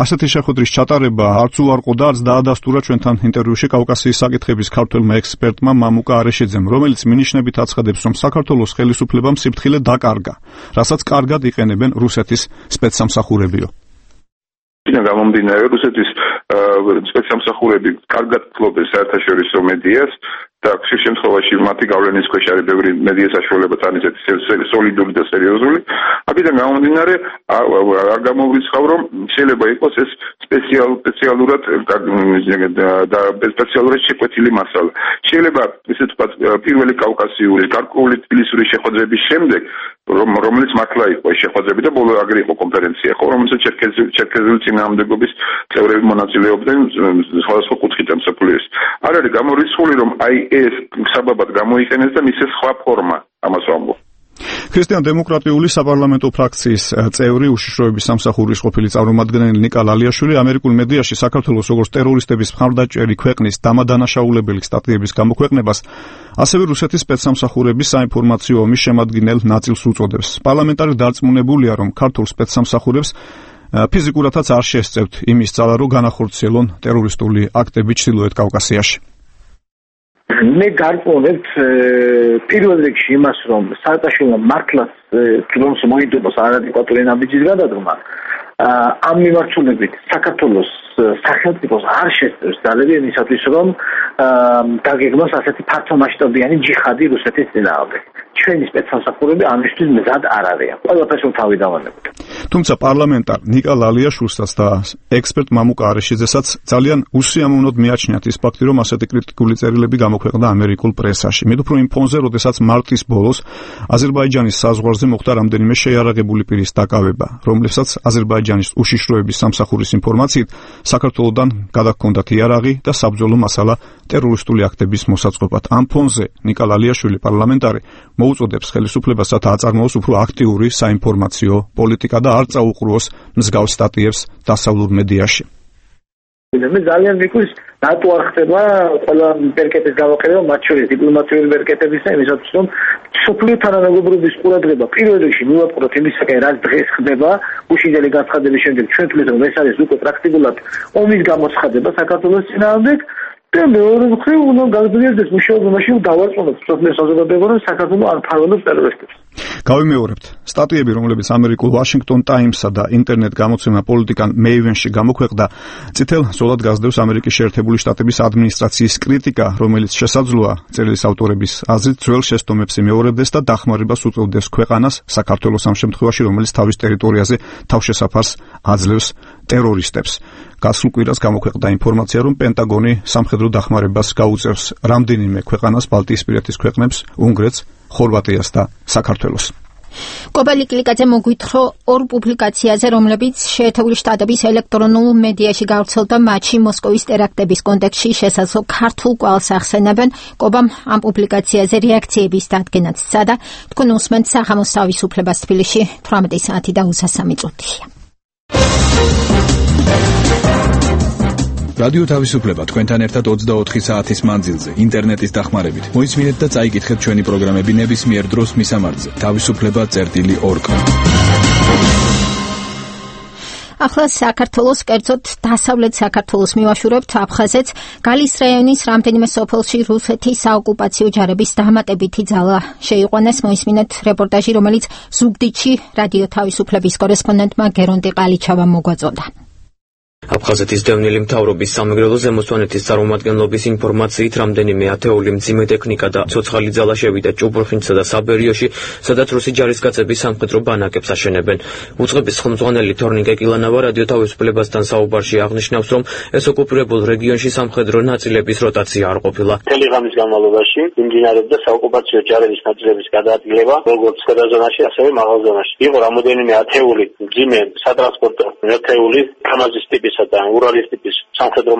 ასეთი შეხვედრის ჩატარება არც უარყო და არც დაადასტურა ჩვენთან ინტერვიუში კავკასიის საკითხების ქართველმა ექსპერტმა მამუკა არეშიძემ, რომელიც მინიშნებით აცხადებს, რომ საქართველოს ხელისუფლებამ სიფრთხილე დაკარგა, რასაც კარგად იყენებენ რუსეთის სპეცსამსახურებიო. გამომდინარე, რუსეთის სპეცსამსახურები კარგად ფლობენ საერთაშორისო მედიას და ხშირ შემთხვევაში მათი გავლენის ქვეშ არის ბევრი მედია საშუალება თან ისეთი სოლიდური და სერიოზული. აქედან გამომდინარე, არ გამოვრიცხავ, რომ შეიძლება იყოს ეს სპეციალურად შეკვეთილი მასალა. შეიძლება ისე თქვა პირველი კავკასიური, გარკვეული თბილისური შეხვედრების შემდეგ, რომელიც მართლა იყო შეხვედრები და ბოლო აგერ იყო კონფერენცია, ხო, რომელსაც ჩერქეზული წინააღმდეგობის წევრები მონაწილეობდნენ სხვადასხვა კუთხით მსოფლიოს. არ არის გამორიცხული, რომ აი ეს საბაბად გამოიყენეს და მისცეს სხვა ფორმა ამას ვამბობ. ქრისტიან-დემოკრატიული საპარლამენტო ფრაქციის წევრი უშიშროების სამსახურის ყოფილი წარმომადგენელი ნიკა ლალიაშვილი ამერიკულ მედიაში საქართველოს როგორც ტერორისტების მხარდაჭერი ქვეყნის დამადანაშაულებელი სტატიების გამოქვეყნებას, ასევე რუსეთის სპეცსამსახურების საინფორმაციო ომის შემადგენელ ნაწილს უწოდებს. პარლამენტარი დარწმუნებულია, რომ ქართულ სპეცსამსახურებს ფიზიკურადაც არ შესწევთ იმის ძალა, რომ განახორციელონ ტერორისტული აქტები ჩრდილოეთ კავკასიაში. მე გარკვევთ პირველ რიგში იმას, რომ სააკაშვილმა მართლაც თვითონ მოიდობას არადეკვატური ნაბიჯის გადადგმა. ამ მიმართულებით საქართველოს სახელმწიფოს არ შესწევს ძალები იმისათვის, რომ დაგეგმოს ასეთი ფართომასშტაბიანი ჯიხადი რუსეთის წინააღმდეგ. ჩვენი სპეცსამსახურები ამისთვის მზად არ არიან. ყველაფერს თავი დავანებთ. თუმცა პარლამენტარ ნიკა ლალიაშვილსაც და ექსპერტ მამუკა არეშიძესაც ძალიან უსიამოვნოდ მიაჩნიათ ის ფაქტი, რომ ასეთი კრიტიკული წერილები გამოქვეყნდა ამერიკულ პრესაში. მით უფრო იმ ფონზე, როდესაც მარტის ბოლოს აზერბაიჯანის საზღვარზე მოხდა რამდენიმე შეიარაღებული პირის დაკავება, რომლებსაც აზერბაიჯანის უშიშროების სამსახურის ინფორმაციით საქართველოსთან გადაჰქონდათ იარაღი და საბრძოლო მასალა ტერორისტული აქტების მოსაწყობად. ამ ფონზე ნიკა ლალიაშვილი პარლამენტარი მოუწოდებს ხელისუფლებასაც აწარმოოს უფრო აქტიური საინფორმაციო პოლიტიკა და არ წაუყრუოს მსგავს სტატიებს დასავლურ მედიაში. მე ძალიან მიყვის რატო არ ხდება ყველა ბერკეტის გამოყენება, მათ შორის დიპლომატიური ბერკეტების და იმისათვის, რომ სოფლიო თანამეგობრობის ყურადღება პირველ რიგში მივაპყროთ იმისაკენ, რაც დღეს ხდება, უშინდელი განცხადების შემდეგ ჩვენ თვლით, რომ ეს არის უკვე პრაქტიკულად ომის გამოცხადება საქართველოს წინააღმდეგ. და მეორე მხრივ უნდა გაგრძელდეს მუშაობა მაშინ დავარწმუნოთ სოფლიო საზოგადოება, რომ საქართველოს არ ფარველობს ტერორისტებს. გავიმეორებთ, სტატიები, რომლებიც ამერიკულ Washington Times-სა და ინტერნეტ გამოცემა პოლიტიკან Maven-ში გამოქვეყნდა, წითელ ზოლად გასდევს ამერიკის შეერთებული შტატების ადმინისტრაციის კრიტიკა, რომელიც შესაძლოა წერილის ავტორების აზრით ძველ შეცდომებს იმეორებდეს და დახმარებას უწევდეს ქვეყანას საქართველოს ამ შემთხვევაში, რომელიც თავის ტერიტორიაზე თავშესაფარს აძლევს ტერორისტებს. გასულ კვირას გამოქვეყნდა ინფორმაცია, რომ პენტაგონი სამხედრო დახმარებას გაუწევს რამდენიმე ქვეყანას, ბალტიისპირეთის ქვეყნებს, უნგრეთს, ხორვატიას და საქართველოს. კობალი კლიკაძე მოგვითხრო ორ პუბლიკაციაზე, რომლებიც შეერთებული შტატების ელექტრონულ მედიაში გავრცელდა, მათში მოსკოვის ტერაქტების კონტექსტში შესაძლო ქართულ კვალს ახსენებენ. კობამ ამ პუბლიკაციაზე რეაქციების დადგენაც სცადა. თქვენ უსმენთ საღამოს თავისუფლებას თბილისში 18 საათი და 23 წუთია. რადიო თავისუფლება თქვენთან ერთად 24 საათის მანძილზე ინტერნეტის დახმარებით. მოისმინეთ და წაიკითხეთ ჩვენი პროგრამები ნებისმიერ დროს მისამართზე თავისუფლება.org. ახლა საქართველოს, კერძოდ დასავლეთ საქართველოს მივაშურებთ აფხაზეთს. გალის რაიონის რამდენიმე სოფელში რუსეთის საოკუპაციო ჯარების დამატებითი ძალა შეიყვანეს. მოისმინეთ რეპორტაჟი, რომელიც ზუგდიდში რადიო თავისუფლების კორესპონდენტმა გერონტი ყალიჩავამ მოგვაწოდა. აფხაზეთის დევნილი მთავრობის სამეგრელო ზემოსვანეთის წარმომადგენლობის ინფორმაციით, რამდენიმე ათეული მძიმე ტექნიკა და ცოცხალი ძალა შევიდა ჭუბურხინცსა და საბერიოში, სადაც რუსი ჯარისკაცები სამხედრო ბანაკებს აშენებენ. უწყების ხელმძღვანელი თორნიკე კილანავა რადიო თავისუფლებასთან საუბარში აღნიშნავს, რომ ეს ოკუპირებულ რეგიონში სამხედრო ნაწილების როტაცია არ ყოფილა. მთელი ღამის განმავლობაში მიმდინარეობდა საოკუპაციო ჯარების ნაწილების გადაადგილება, როგორც ქვედა ზონაში, ასევე მაღალ ზონაში. იყო რამოდენიმე ათეული მძიმე სატრანსპორტო ერთეული კამაზის ტიპისა და ურალის ტიპის სამხედრო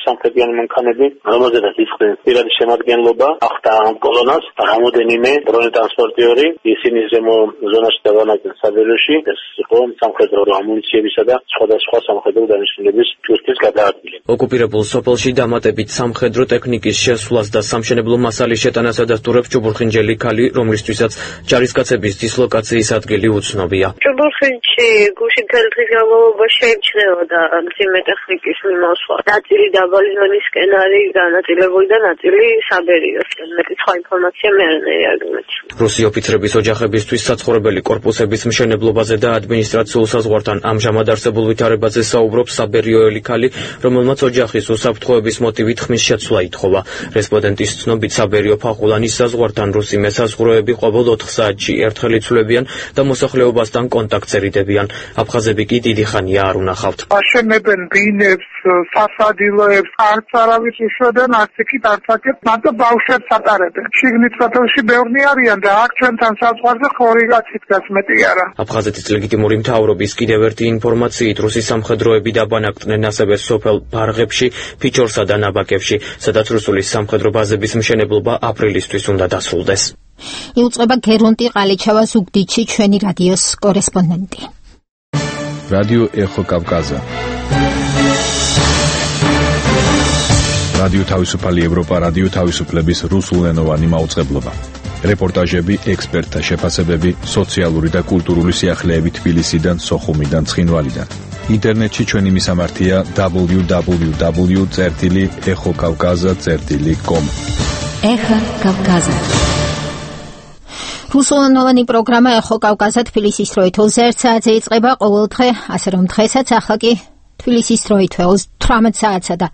სამხედრიანი მანქანები, რომელზედაც იწყდნენ პირადი შემადგენლობა, ახდა ამ კოლონას, რამოდენიმე დრონეტრანსპორტიორი, ისინი ზემო ზონაში დავანაკდნენ საბეროში, ეს იყო სამხედრო ამუნიციებისა და სხვადასხვა სამხედრო დანიშნულების ჯგუფის გადაადგილება. ოკუპირებულ სოფელში დამატებით სამხედრო ტექნიკის შესვლას და სამშენებლო მასალის შეტანას ადასტურებს ჭუბურხინჯელი ქალი, რომლისთვისაც ჯარისკაცების დისლოკაციის ადგილი უცნობია. ჭუბურხინჯში გუშინ მთელი დღის განმავლობაში შეიმჩნეოდა მძიმე ტექნიკის მიმოსვლა. ნაწილი დაბალი ზონისკენ არის განაწილებული და ნაწილი საბერიოსკენ. მეტი სხვა ინფორმაცია მე არ მეცი. რუსი ოფიცრების ოჯახებისთვის საცხოვრებელი კორპუსების მშენებლობაზე და ადმინისტრაციულ საზღვართან ამჟამად არსებულ ვითარებაზე საუბრობს საბერიოელი ქალი, რომელმაც ოჯახის უსაფრთხოების მოტივით ხმის შეცვლა ითხოვა. რესპონდენტის ცნობით საბერიო ფახულანის საზღვართან რუსი მესაზღვროები ყოველ 4 საათში ერთხელ იცვლებიან და მოსახლეობასთან კონტაქტს ერიდებიან. აფხაზები კი დიდი ხანია არ უნახავთ. აშენებენ ბინებს, სასადილოებს, არც არავის უშვებენ, არც იქით არც აქეთ, მარტო ბავშვებს ატარებენ. შიგნით სოფელში ბევრი არიან და აქ ჩვენთან საზღვარზე ხორი კაცი დგას, მეტი არა. აფხაზეთის ლეგიტიმური მთავრობის კიდევ ერთი ინფორმაციით, რუსი სამხედროები დაბანაკდნენ ასევე სოფელ ბარღებში, ფიჩორსა და ნაბაკებში, სადაც რუსული სამხედრო ბაზების მშენებლობა აპრილისთვის უნდა დასრულდეს. იუწყება გერონტი ყალიჩავა ზუგდიდში ჩვენი რადიოს კორესპონდენტი. რადიო ეხო კავკაზა. რადიო თავისუფალი ევროპა, რადიო თავისუფლების რუსულენოვანი მაუწყებლობა. რეპორტაჟები, ექსპერტთა შეფასებები, სოციალური და კულტურული სიახლეები თბილისიდან, სოხუმიდან, ცხინვალიდან. ინტერნეტში ჩვენი მისამართია www.exokavkaza.com. ეხა კავკაზა. რუსულენოვანი პროგრამა ეხო კავკაზა თბილისის დროით 21 საათზე იწყება ყოველ დღე, ასე რომ დღესაც ახლა კი თბილისის დროით 18 საათსა და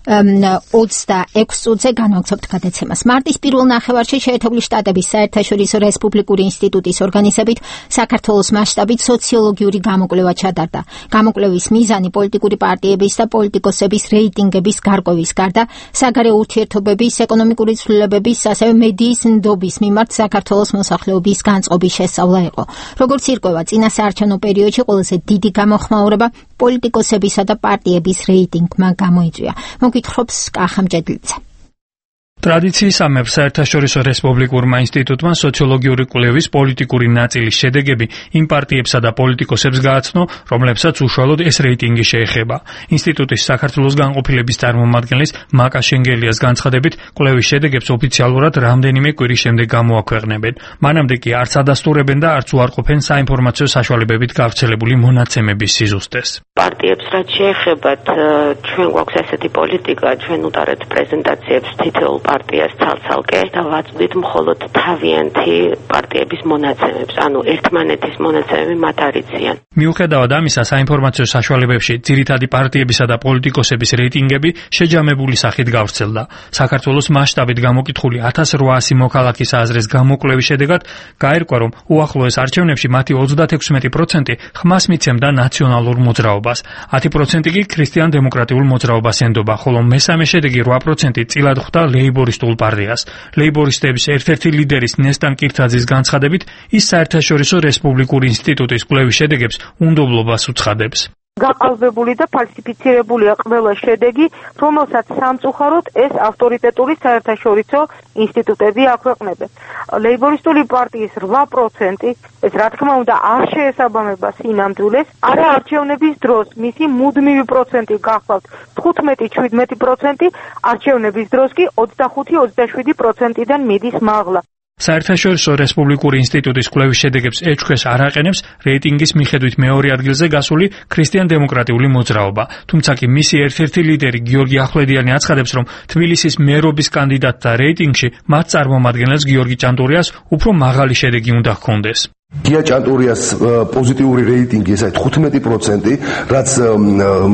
26 წუთზე განვაგრძობთ გადაცემას. მარტის პირველ ნახევარში შეერთებული შტატების საერთაშორისო რესპუბლიკური ინსტიტუტის ორგანიზებით საქართველოს მასშტაბით სოციოლოგიური გამოკვლევა ჩატარდა. გამოკვლევის მიზანი პოლიტიკური პარტიების და პოლიტიკოსების რეიტინგების გარკვევის გარდა საგარეო ურთიერთობების, ეკონომიკური ცვლილებების, ასევე მედიის ნდობის მიმართ საქართველოს მოსახლეობის განწყობის შესწავლა იყო. როგორც ირკვევა, წინა საარჩევნო პერიოდში ყველაზე დიდი გამოხმაურება პოლიტიკოსებისა და პარტიების რეიტინგმა გამოიწვია. მოგვითხრობს კახამჭედლიძე. ტრადიციისამებრ საერთაშორისო რესპუბლიკურმა ინსტიტუტმა სოციოლოგიური კვლევის პოლიტიკური ნაწილის შედეგები იმ პარტიებსა და პოლიტიკოსებს გააცნო, რომლებსაც უშუალოდ ეს რეიტინგი შეეხება. ინსტიტუტის საქართველოს განყოფილების წარმომადგენლის მაკა შენგელიას განცხადებით, კვლევის შედეგებს ოფიციალურად რამდენიმე კვირის შემდეგ გამოაქვეყნებენ. მანამდე კი არც ადასტურებენ და არც უარყოფენ საინფორმაციო საშუალებებით გავრცელებული მონაცემების სიზუსტეს. პარტიებს რაც შეეხებათ, ჩვენ გვაქვს ესეთი პოლიტიკა, ჩვენ უტარებთ პრეზენტაციებს თითოეულ პარტიას ცალ-ცალკე და ვაწვდით მხოლოდ თავიანთი პარტიების მონაცემებს, ანუ ერთმანეთის მონაცემები მათ არ იციან. მიუხედავად ამისა, საინფორმაციო საშუალებებში ძირითადი პარტიებისა და პოლიტიკოსების რეიტინგები შეჯამებული სახით გავრცელდა. საქართველოს მასშტაბით გამოკითხული 1800 მოქალაქის აზრის გამოკვლევის შედეგად გაირკვა, რომ უახლოეს არჩევნებში მათი 36% ხმას მიცემდა ნაციონალურ მოძრაობას, 10% კი ქრისტიან-დემოკრატიულ მოძრაობას ენდობა, ხოლო მესამე შედეგი 8% წილად ხვდა ლეიბორისტულ პარტიას. ლეიბორისტების ერთ-ერთი ლიდერის ნესტან კირთაძის განცხადებით, ის საერთაშორისო რესპუბლიკური ინსტიტუტის კვლევის შედეგებს უნდობლობას უცხადებს. გაყალბებული და ფალსიფიცირებულია ყველა შედეგი, რომელსაც სამწუხაროდ ეს ავტორიტეტული საერთაშორისო ინსტიტუტები აქვეყნებენ. ლეიბორისტული პარტიის 8% ეს რა თქმა უნდა არ შეესაბამება სინამდვილეს, არა არჩევნების დროს მისი მუდმივი პროცენტი გახლავთ 15-17%, არჩევნების დროს კი 25-27%-დან მიდის მაღლა. საერთაშორისო რესპუბლიკური ინსტიტუტის კვლევის შედეგებს ეჩქვეს არ აყენებს რეიტინგის მიხედვით მეორე ადგილზე გასული ქრისტიან-დემოკრატიული მოძრაობა. თუმცა კი მისი ერთ-ერთი ლიდერი გიორგი ახვლედიანი აცხადებს, რომ თბილისის მერობის კანდიდატთა რეიტინგში მათ წარმომადგენელს გიორგი ჭანტურიას უფრო მაღალი შედეგი უნდა ჰქონდეს. გია ჭანტურიას პოზიტიური რეიტინგი ეს არის 15%, რაც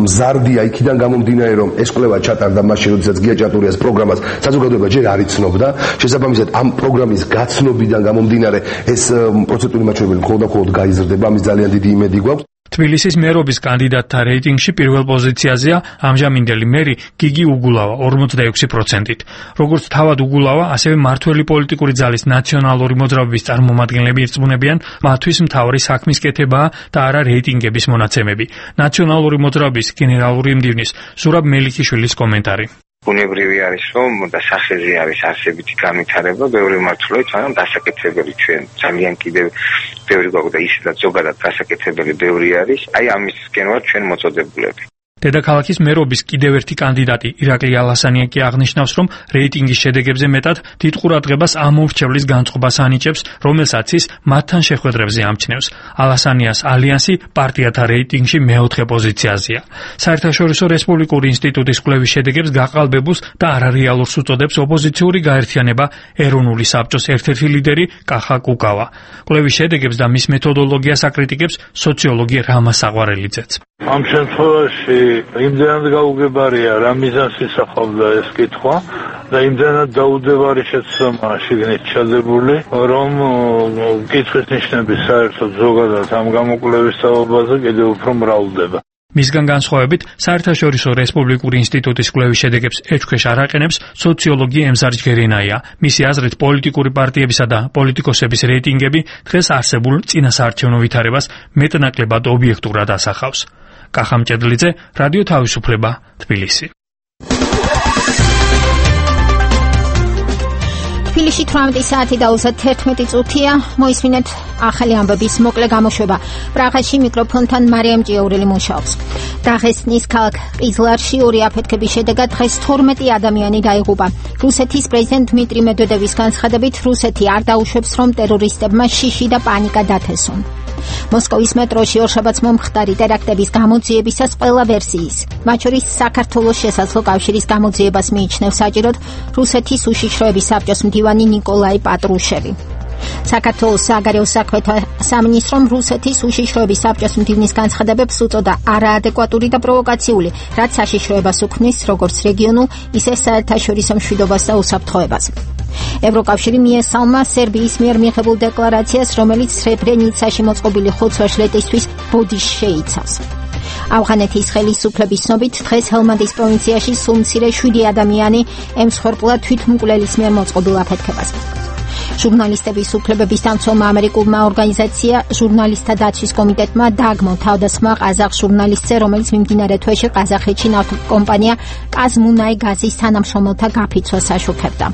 მზარდია იქიდან გამომდინარე, რომ ეს კვლევა ჩატარდა მაშინ, როდესაც გია ჭანტურიას პროგრამას საზოგადოება ჯერ არ იცნობდა. შესაბამისად, ამ პროგრამის გაცნობიდან გამომდინარე ეს პროცენტული მაჩვენებელი მხოლოდ გაიზრდება, ამის ძალიან დიდი იმედი გვაქვს. თბილისის მერობის კანდიდატთა რეიტინგში პირველ პოზიციაზეა ამჟამინდელი მერი გიგი უგულავა 46%-ით. როგორც თავად უგულავა, ასევე მართველი პოლიტიკური ძალის ნაციონალური მოძრაობის წარმომადგენლები ირწმუნებიან, მათთვის მთავარი საქმის კეთებაა და არა რეიტინგების მონაცემები. ნაციონალური მოძრაობის გენერალური მდივნის ზურაბ მელიქიშვილის კომენტარი. ბუნებრივი არის, რომ და სახეზე არის არსებითი განვითარება, ბევრი მართლობით, მაგრამ დასაკეთებელი ჩვენ ძალიან კიდევ ბევრი გვაქვს და ისედაც ზოგადად დასაკეთებელი ბევრი არის. აი ამისკენ ვართ ჩვენ მოწოდებულები. დედაქალაქის მერობის კიდევ ერთი კანდიდატი ირაკლი ალასანია კი აღნიშნავს, რომ რეიტინგის შედეგებზე მეტად დიდ ყურადღებას ამომრჩევლის განწყობას ანიჭებს, რომელსაც ის მათთან შეხვედრებზე ამჩნევს. ალასანიას ალიანსი პარტიათა რეიტინგში მეოთხე პოზიციაზეა. საერთაშორისო რესპუბლიკური ინსტიტუტის კვლევის შედეგებს გაყალბებულს და არარეალურს უწოდებს ოპოზიციური გაერთიანება ეროვნული საბჭოს ერთ-ერთი ლიდერი კახა კუკავა. კვლევის შედეგებს და მის მეთოდოლოგიას აკრიტიკებს სოციოლოგი რამა საყვარელიძეც. ამ შემთხვევაში იმდენად გაუგებარია რა მიზანს ისახავდა ეს კითხვა და იმდენად დაუდევარი შეცდომაა შიგნით ჩადებული, რომ კითხვის ნიშნები საერთოდ ზოგადად ამ გამოკვლევის სწავლაზე კიდევ უფრო მრავლდება. მისგან განსხვავებით, საერთაშორისო რესპუბლიკური ინსტიტუტის კვლევის შედეგებს ეჭქვეშ არ აყენებს სოციოლოგი ემზარ ჯგერინაია. მისი აზრით, პოლიტიკური პარტიებისა და პოლიტიკოსების რეიტინგები დღეს არსებულ წინასაარჩევნო ვითარებას მეტნაკლებად ობიექტურად ასახავს. კახა მჭედლიძე, რადიო თავისუფლება, თბილისი. თბილისში 18 საათი და 31 წუთია. მოისმინეთ ახალი ამბების მოკლე გამოშვება. პრაღაში მიკროფონთან მარიამ ჭიაურელი მუშაობს. დაღესტნის ქალაქ ყიზლარში ორი აფეთქების შედეგად დღეს 12 ადამიანი დაიღუპა. რუსეთის პრეზიდენტ დმიტრი მედვედევის განცხადებით, რუსეთი არ დაუშვებს, რომ ტერორისტებმა შიში და პანიკა დათესონ. მოსკოვის მეტროში ორშაბათს მომხდარი ტერაქტების გამოძიებისას ყველა ვერსიის, მათ შორის საქართველოს შესაძლო კავშირის გამოძიებას მიიჩნევს საჭიროდ რუსეთის უშიშროების საბჭოს მდივანი ნიკოლაი პატრუშევი. საქართველოს საგარეო საქმეთა სამინისტრომ რუსეთის უშიშროების საბჭოს მდივნის განცხადებებს უწოდა არაადეკვატური და პროვოკაციული, რაც საშიშროებას უქმნის როგორც რეგიონულ, ისე საერთაშორისო მშვიდობას და უსაფრთხოებას. ევროკავშირი მიესალმა სერბიის მიერ მიღებულ დეკლარაციას, რომელიც სრებრენიცაში მოწყობილი ხოცვა-ჟლეტისთვის ბოდიშს შეიცავს. ავღანეთის ხელისუფლების ცნობით, დღეს ჰელმანდის პროვინციაში სულ მცირე 7 ადამიანი ემსხვერპლა თვითმკვლელის მიერ მოწყობილ აფეთქებას. ჟურნალისტების უფლებების დამცველმა ამერიკულმა ორგანიზაცია ჟურნალისტთა დაცვის კომიტეტმა დააგმო თავდასხმა ყაზახ ჟურნალისტზე, რომელიც მიმდინარე თვეში ყაზახეთში ნავთობკომპანია კაზმუნაიგაზის თანამშრომელთა გაფიცვას აშუქებდა.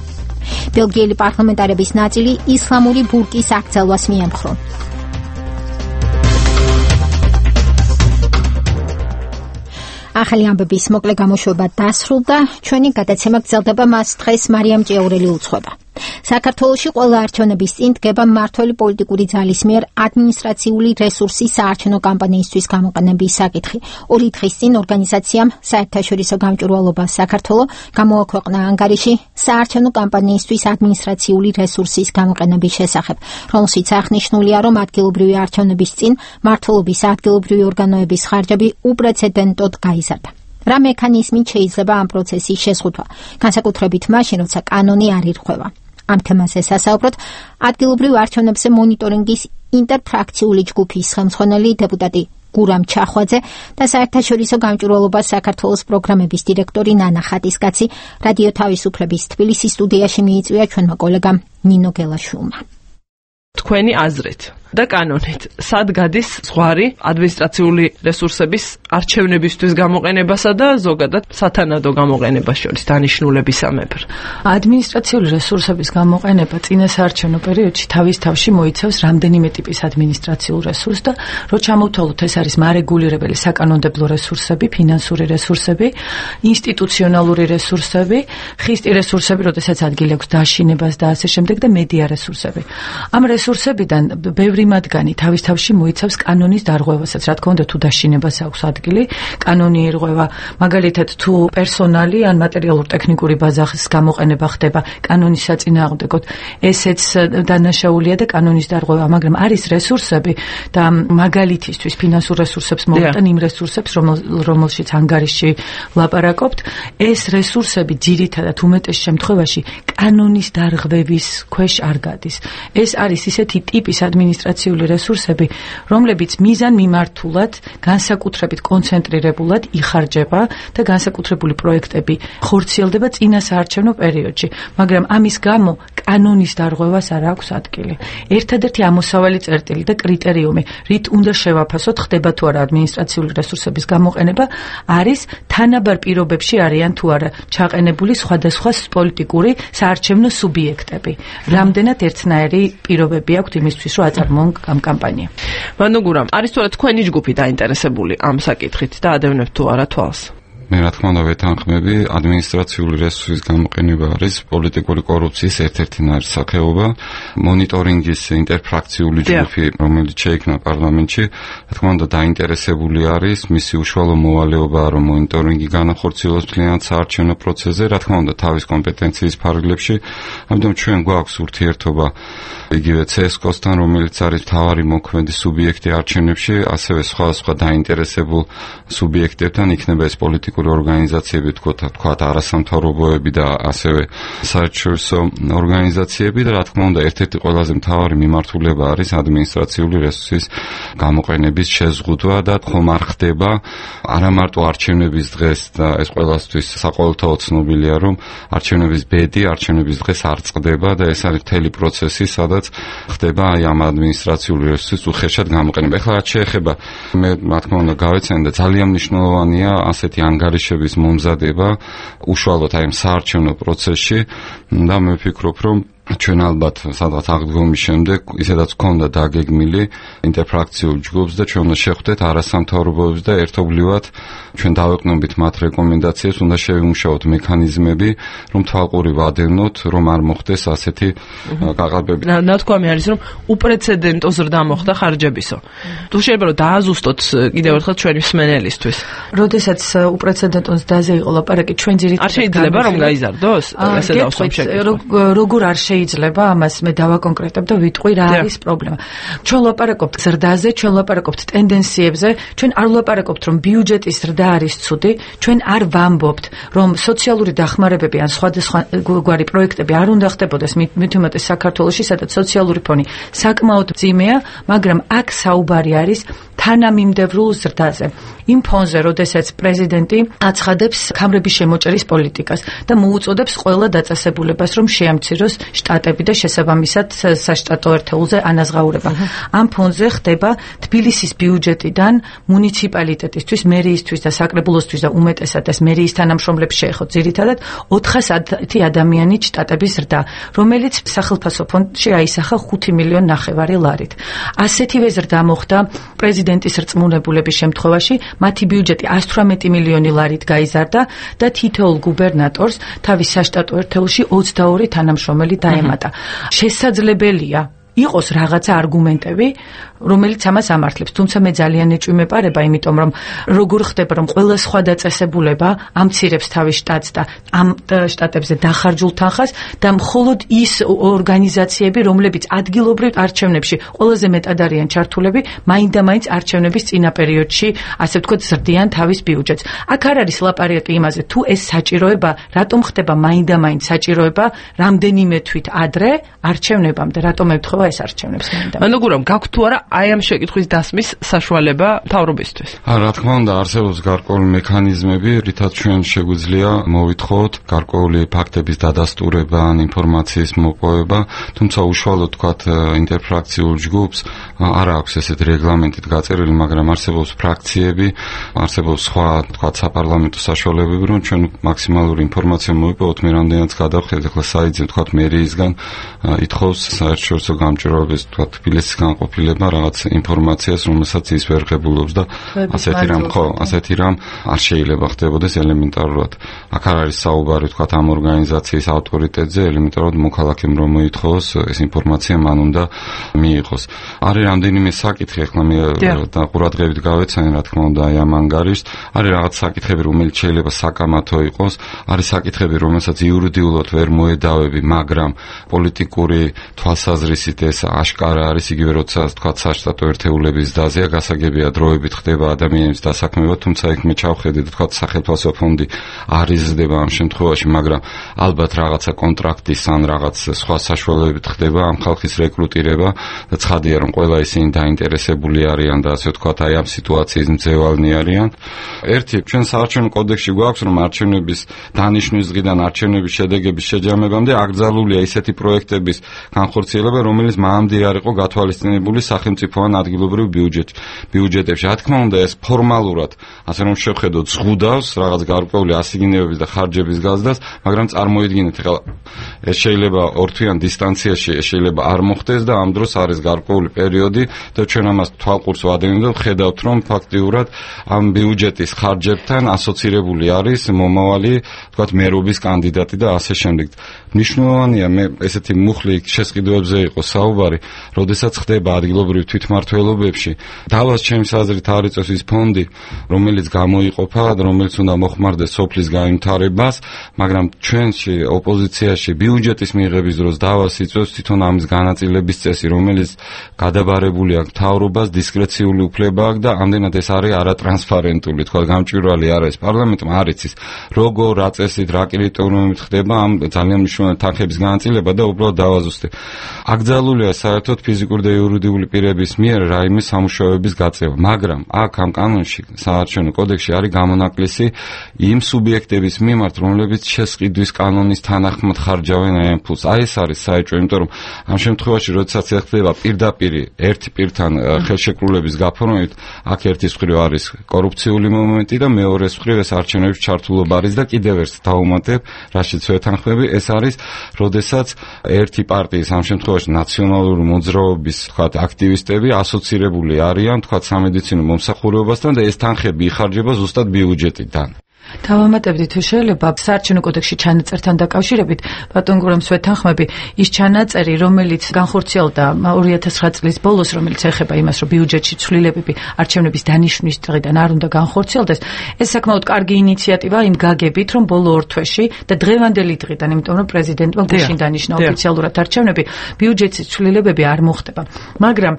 ბელგიელი პარლამენტარების ნაწილი ისლამური ბურკის აკრძალვას მიემხრო. ახალი ამბების მოკლე გამოშვება დასრულდა. ჩვენი გადაცემა გრძელდება, მას დღეს მარიამ ჭიაურელი უძღვება. საქართველოში ყველა არჩევნების წინ დგება მმართველი პოლიტიკური ძალის მიერ ადმინისტრაციული რესურსის საარჩევნო კამპანიისთვის გამოყენების საკითხი. 2 დღის წინ ორგანიზაციამ საერთაშორისო გამჭვირვალობა საქართველოს გამოაქვეყნა ანგარიში საარჩევნო კამპანიისთვის ადმინისტრაციული რესურსის გამოყენების შესახებ, რომელშიც აღნიშნულია, რომ ადგილობრივი არჩევნების წინ მმართველობის ადგილობრივი ორგანოების ხარჯები უპრეცედენტოდ გაიზარდა. რა მექანიზმით შეიძლება ამ პროცესის შეზღუდვა, განსაკუთრებით მაშინ, როცა კანონი არ ირღვევა. ამ თემაზე სასაუბროთ ადგილობრივ არჩევნებზე მონიტორინგის ინტერფრაქციული ჯგუფის ხელმძღვანელი დეპუტატი გურამ ჩახვაძე და საერთაშორისო გამჭვირვალობა საქართველოს პროგრამების დირექტორი ნანა ხატისკაცი რადიო თავისუფლების თბილისის სტუდიაში მიიწვია ჩვენმა კოლეგამ ნინო გელაშვილმა. თქვენი აზრით და კანონით სად გადის ზღვარი ადმინისტრაციული რესურსების არჩევნებისთვის გამოყენებასა და ზოგადად სათანადო გამოყენებას შორის დანიშნულებისამებრ? ადმინისტრაციული რესურსების გამოყენება წინასაარჩევნო პერიოდში თავის თავში მოიცავს რამდენიმე ტიპის ადმინისტრაციულ რესურსს და რო ჩამოვთვალოთ, ეს არის მარეგულირებელი საკანონმდებლო რესურსები, ფინანსური რესურსები, ინსტიტუციონალური რესურსები, ხისტი რესურსები, როდესაც ადგილი აქვს დაშინებას და ასე შემდეგ და მედია რესურსები. ამ რესურსებიდან ბევრი მათგანი თავის-თავში მოიცავს კანონის დარღვევასაც, რა თქმა უნდა, თუ დაშინებას აქვს ადგილი, კანონი ირღვევა, მაგალითად, თუ პერსონალი ან მატერიალურ-ტექნიკური ბაზის გამოყენება ხდება კანონის საწინააღმდეგოდ, ესეც დანაშაულია და კანონის დარღვევა, მაგრამ არის რესურსები და მაგალითისთვის ფინანსურ რესურსებს მოვიტან იმ რესურსებს, რომელშიც ანგარიში ვლაპარაკობთ, ეს რესურსები ძირითადად უმეტეს შემთხვევაში კანონის დარღვევის ქვეშ არ გადის. ეს არის ისეთი ტიპის ადმინისტრაციული რესურსები, რომლებიც მიზანმიმართულად, განსაკუთრებით კონცენტრირებულად იხარჯება და განსაკუთრებული პროექტები ხორციელდება წინა საარჩევნო პერიოდში, მაგრამ ამის გამო კანონის დარღვევას არ აქვს ადგილი. ერთადერთი ამოსავალი წერტილი და კრიტერიუმი, რით უნდა შევაფასოთ, ხდება თუ არა ადმინისტრაციული რესურსების გამოყენება, არის თანაბარ პირობებში არიან თუ არა ჩაყენებული სხვადასხვა პოლიტიკური საარჩევნო სუბიექტები. რამდენად ერთნაირი პირობები აქვთ იმისთვის, რომ აწარმოონ ამ კამპანია. მანუ გურამ, არის თუ არა თქვენი ჯგუფი დაინტერესებული ამ საკითხით და ადევნებთ თუ არა თვალს? მე რა თქმა უნდა ვეთანხმები, ადმინისტრაციული რესურსის გამოყენება არის პოლიტიკური კორუფციის ერთ-ერთი ნარსახეობა. მონიტორინგის ინტერფრაქციული ჯგუფი, რომელიც შეიქმნა პარლამენტში, რა თქმა უნდა დაინტერესებული არის, მისი უშუალო მოვალეობაა, რომ მონიტორინგი განახორციელოს მთლიანად საარჩევნო პროცესზე, რა თქმა უნდა თავის კომპეტენციის ფარგლებში. ამიტომ ჩვენ გვაქვს ურთიერთობა იგივე CSKOS-თან, რომელიც არის მთავარი მოქმედი სუბიექტი არჩევნებში, ასევე სხვა დაინტერესებულ სუბიექტებთან, იქნება ეს პოლიტიკური ორგანიზაციები, თქვათ არასამთავრობოები და ასევე საერთაშორისო ორგანიზაციები და რა თქმა უნდა ერთ-ერთი ყველაზე მთავარი მიმართულება არის ადმინისტრაციული რესურსის გამოყენების შეზღუდვა და ხომ არ ხდება არა მარტო არჩევნების დღეს და ეს ყველასთვის საყოველთაო ცნობილია, რომ არჩევნების ბედი არჩევნების დღეს არ წყდება და ეს არის მთელი პროცესი, სადაც ხდება აი ამ ადმინისტრაციული რესურსის უხეშად გამოყენება. ეხლა რაც შეეხება მე რა თქმა უნდა გავეცანი და ძალიან მნიშვნელოვანია ასეთი ანგარიშების მომზადება უშუალოდ აი ამ საარჩევნო პროცესში და მე ვფიქრობ, რომ ჩვენ ალბათ სადღაც აღდგომის შემდეგ ისედაც გქონდა დაგეგმილი ინტერფრაქციულ ჯგუფს და ჩვენ უნდა შევხვდეთ არასამთავრობოებს და ერთობლივად ჩვენ დავეყნობით მათ რეკომენდაციებს, უნდა შევიმუშაოთ მექანიზმები, რომ თვალყური ვადევნოთ, რომ არ მოხდეს ასეთი გაყალბები. ნათქვამი არის, რომ უპრეცედენტო ზრდა მოხდა ხარჯებისო. თუ შეიძლება რომ დააზუსტოთ კიდევ ერთხელ ჩვენი მსმენელისთვის. როდესაც უპრეცედენტო ზრდაზე იყო ლაპარაკი, ჩვენ ძირითადად არ შეიძლება რომ გაიზარდოს? ესე დავსვამ შეკითხვა. როგორ არ შეიძლება ამას მე დავაკონკრეტებ და ვიტყვი რა არის პრობლემა. ჩვენ ლაპარაკობთ ზრდაზე, ჩვენ ლაპარაკობთ ტენდენციებზე, ჩვენ არ ლაპარაკობთ რომ ბიუჯეტის ზრდა არის ცუდი, ჩვენ არ ვამბობთ რომ სოციალური დახმარებები ან სხვადასხვა გვარი პროექტები არ უნდა ხდებოდეს მით უმეტეს საქართველოში, სადაც სოციალური ფონი საკმაოდ მძიმეა, მაგრამ აქ საუბარი არის თანამიმდევრულ ზრდაზე. იმ ფონზე, როდესაც პრეზიდენტი აცხადებს ქამრების შემოჭერის პოლიტიკას და მოუწოდებს ყველა დაწესებულებას, რომ შეამციროს შტატები და შესაბამისად საშტატო ერთეულზე ანაზღაურება. ამ ფონზე ხდება თბილისის ბიუჯეტიდან მუნიციპალიტეტისთვის, მერიისთვის და საკრებულოსთვის და უმეტესად ეს მერიის თანამშრომლებს შეეხოთ ძირითადად 410 ადამიანით შტატების ზრდა, რომელიც სახელმწიფო ფონდში აისახა 5 მილიონი 900 ლარით. ასეთივე ზრდა მოხდა პრეზიდენტის რწმუნებულების შემთხვევაში, მათი ბიუჯეტი 118 მილიონი ლარით გაიზარდა და თითოეულ გუბერნატორს თავის საშტატო ერთეულში 22 თანამშრომელი დაემატა. შესაძლებელია იყოს რაღაცა არგუმენტები, რომელიც ამას ამართლებს, თუმცა მე ძალიან ეჭვი მეპარება, იმიტომ რომ როგორ ხდება, რომ ყველა სხვა დაწესებულება ამცირებს თავის შტატს და ამ შტატებზე დახარჯულ თანხას და მხოლოდ ის ორგანიზაციები, რომლებიც ადგილობრივ არჩევნებში ყველაზე მეტად არიან ჩართულები, მაინდა-მაინც არჩევნების წინა პერიოდში, ასე ვთქვათ, ზრდიან თავის ბიუჯეტს. აქ არ არის ლაპარაკი იმაზე, თუ ეს საჭიროება, რატომ ხდება მაინდა-მაინც საჭიროება რამდენიმე თვით ადრე არჩევნებამდე, რატომ ემთხვევა ეს არჩევნებს მაინდა. ანუ გურამ გაქვთ თუ არა აი ამ შეკითხვის დასმის საშუალება მთავრობისთვის? რა თქმა უნდა, არსებობს გარკვეული მექანიზმები, რითაც ჩვენ შეგვიძლია მოვითხოვოთ გარკვეული ფაქტების დადასტურება ან ინფორმაციის მოპოვება, თუმცა უშუალოდ თქვათ ინტერფრაქციულ ჯგუფს არ აქვს ესეთ რეგლამენტით გაწერილი, მაგრამ არსებობს ფრაქციები, არსებობს სხვა თქვათ საპარლამენტო საშუალებები, რომ ჩვენ მაქსიმალური ინფორმაცია მოვიპოვოთ, მე რამდენიც გადავხედეთ, ახლა საიძე თქვათ მერიისგან ითხოვს საერთაშორისო გამჭვირვალების თქვა თბილისის განყოფილება რაღაც ინფორმაციას, რომელსაც ის ვერ ღებულობს და ასეთი რამ არ შეიძლება ხდებოდეს ელემენტარულად. აქ არ არის საუბარი თქვა ამ ორგანიზაციის ავტორიტეტზე, ელემენტარულად მოქალაქემ რომ მოითხოვოს ეს ინფორმაცია მან უნდა მიიღოს. არის რამდენიმე საკითხი, ახლა მე და ყურადღებით გავეცანი, რა თქმა უნდა, აი ამ ანგარიშს. არის რაღაც საკითხები, რომელიც შეიძლება საკამათო იყოს, არის საკითხები, რომელსაც იურიდიულად ვერ მოედავები, მაგრამ პოლიტიკური თვალსაზრისით ეს აშკარა არის, იგივე როცა თქვა საშტატო ერთეულების დაზია გასაგებია დროებით ხდება ადამიანის დასაქმება, თუმცა იქ მე ჩავხედე და თქვა სახელმწიფო ფონდი არ იზრდება ამ შემთხვევაში, მაგრამ ალბათ რაღაცა კონტრაქტის ან რაღაც სხვა საშუალებებით ხდება ამ ხალხის რეკრუტირება და ცხადია რომ ყველა ისინი დაინტერესებული არიან და ასე ვთქვათ აი ამ სიტუაციის მძევალნი არიან. ერთი ჩვენ საარჩევნო კოდექსში გვაქვს რომ არჩევნების დანიშვნის დღიდან არჩევნების შედეგების შეჯამებამდე აკრძალულია ისეთი პროექტების განხორციელება, რომელიც მანამდე არ იყო გათვალისწინებული სახელმწიფო ან ადგილობრივ ბიუჯეტებში. რა თქმა უნდა ეს ფორმალურად ასე რომ შევხედოთ ზღუდავს რაღაც გარკვეული ასიგნებების და ხარჯების გაზრდას, მაგრამ წარმოიდგინეთ ახლა ეს შეიძლება ორთვიან დისტანციაში შეიძლება არ მოხდეს და ამ დროს არის გარკვეული პერიოდი და ჩვენ ამას თვალყურს ვადევნებთ და ხედავთ რომ ფაქტიურად ამ ბიუჯეტის ხარჯებთან ასოცირებული არის მომავალი თქვათ მერობის კანდიდატი და ასე შემდეგ. მნიშვნელოვანია მე ესეთი მუხლი შესყიდვებზე იყო საუბარი, როდესაც ხდება ადგილობრივ თვითმმართველობებში. დავას ჩემს აზრით არ იწევს ის ფონდი, რომელიც გამოიყოფა და რომელიც უნდა მოხმარდეს სოფლის განვითარებას, მაგრამ ჩვენში ოპოზიციაში ბიუჯეტის მიღების დროს დავას იწევს თვითონ ამის განაწილების წესი, რომელიც გადაბარებული აქვს მთავრობას, დისკრეციული უფლება აქვს და ამდენად ეს არის არატრანსპარენტული, თქვა გამჭვირვალე არ არის პარლამენტმა არ იცის როგორ რა წესით რა კრიტერიუმებით ხდება ამ ძალიან მნიშვნელოვანი თანხების განაწილება და უბრალოდ დავაზუსტე. აკრძალულია საერთოდ ფიზიკური და იურიდიული პირების მიერ რაიმე სამუშაოების გაწევა, მაგრამ აქ ამ კანონში საარჩევნო კოდექსში არის გამონაკლისი იმ სუბიექტების მიმართ, რომლებიც შესყიდვის კანონის თანახმად ხარჯავენ აი ამ ფულს. აი ეს არის საეჭვო, იმიტომ რომ ამ შემთხვევაში როდესაც ეხება პირდაპირ ერთი პირთან ხელშეკრულების გაფორმებით, აქ ერთის მხრივ არის კორუფციული მომენტი და მეორეს მხრივ ეს არჩევნების ჩართულობა არის და კიდევ ერთ დავუმატებ, რაშიც ვეთანხმები, ეს არის, როდესაც ერთი პარტიის ამ შემთხვევაში ნაციონალური მოძრაობის, თქვათ, აქტივისტები ასოცირებული არიან, თქვათ, სამედიცინო მომსახურებასთან და ეს თანხები იხარჯება ზუსტად ბიუჯეტიდან. დავამატებდი თუ შეიძლება საარჩევნო კოდექსში ჩანაწერთან დაკავშირებით, ბატონ გურამს ვეთანხმები, ის ჩანაწერი, რომელიც განხორციელდა 2009 წლის ბოლოს, რომელიც ეხება იმას, რომ ბიუჯეტში ცვლილებები არჩევნების დანიშვნის დღიდან არ უნდა განხორციელდეს, ეს საკმაოდ კარგი ინიციატივა იმ გაგებით, რომ ბოლო ორ თვეში და დღევანდელი დღიდან, იმიტომ რომ პრეზიდენტმა გუშინ დანიშნა ოფიციალურად არჩევნები, ბიუჯეტის ცვლილებები არ მოხდება. მაგრამ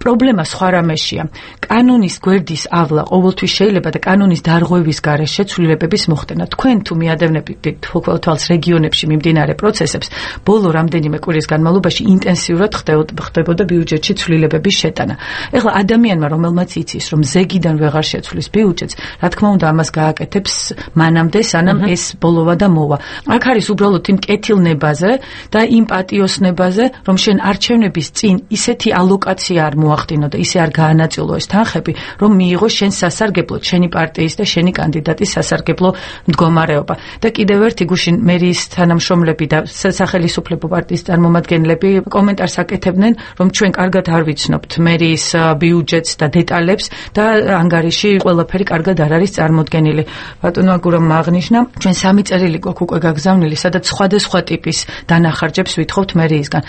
პრობლემა სხვა რამეშია. კანონის გვერდის ავლა ყოველთვის შეიძლება და კანონის დარღვევის გარეშე ცვლილებების მოხდენა. თქვენ თუ მიადევნებთ თვალს რეგიონებში მიმდინარე პროცესებს, ბოლო რამდენიმე კვირის განმავლობაში ინტენსიურად ხდებოდა ბიუჯეტში ცვლილებების შეტანა. ეხლა ადამიანმა, რომელმაც იცის, რომ ზეგიდან ვეღარ შეცვლის ბიუჯეტს, რა თქმა უნდა ამას გააკეთებს მანამდე, სანამ ეს ბოლოვა და მოვა. აქ არის უბრალოდ იმ კეთილნებაზე და იმ პატიოსნებაზე, რომ შენ არჩევნების წინ ისეთი ალოკაცია არ მოახდინო და ისე არ გაანაწილო ეს თანხები, რომ მიიღო შენ სასარგებლოდ, შენი პარტიის და შენი კანდიდატის სასარგებლო მდგომარეობა. და კიდევ ერთი გუშინ მერიის თანამშრომლები და სახელმწიფო პარტიის წარმომადგენლები კომენტარს აკეთებდნენ, რომ ჩვენ კარგად არ ვიცნობთ მერიის ბიუჯეტს და დეტალებს და ანგარიში ყველაფერი კარგად არ არის წარმოდგენილი. ბატონო აგურამ აღნიშნა, ჩვენ 3 წერილი გვაქვს უკვე გაგზავნილი, სადაც სხვადასხვა ტიპის დანახარჯებს ვითხოვთ მერიისგან.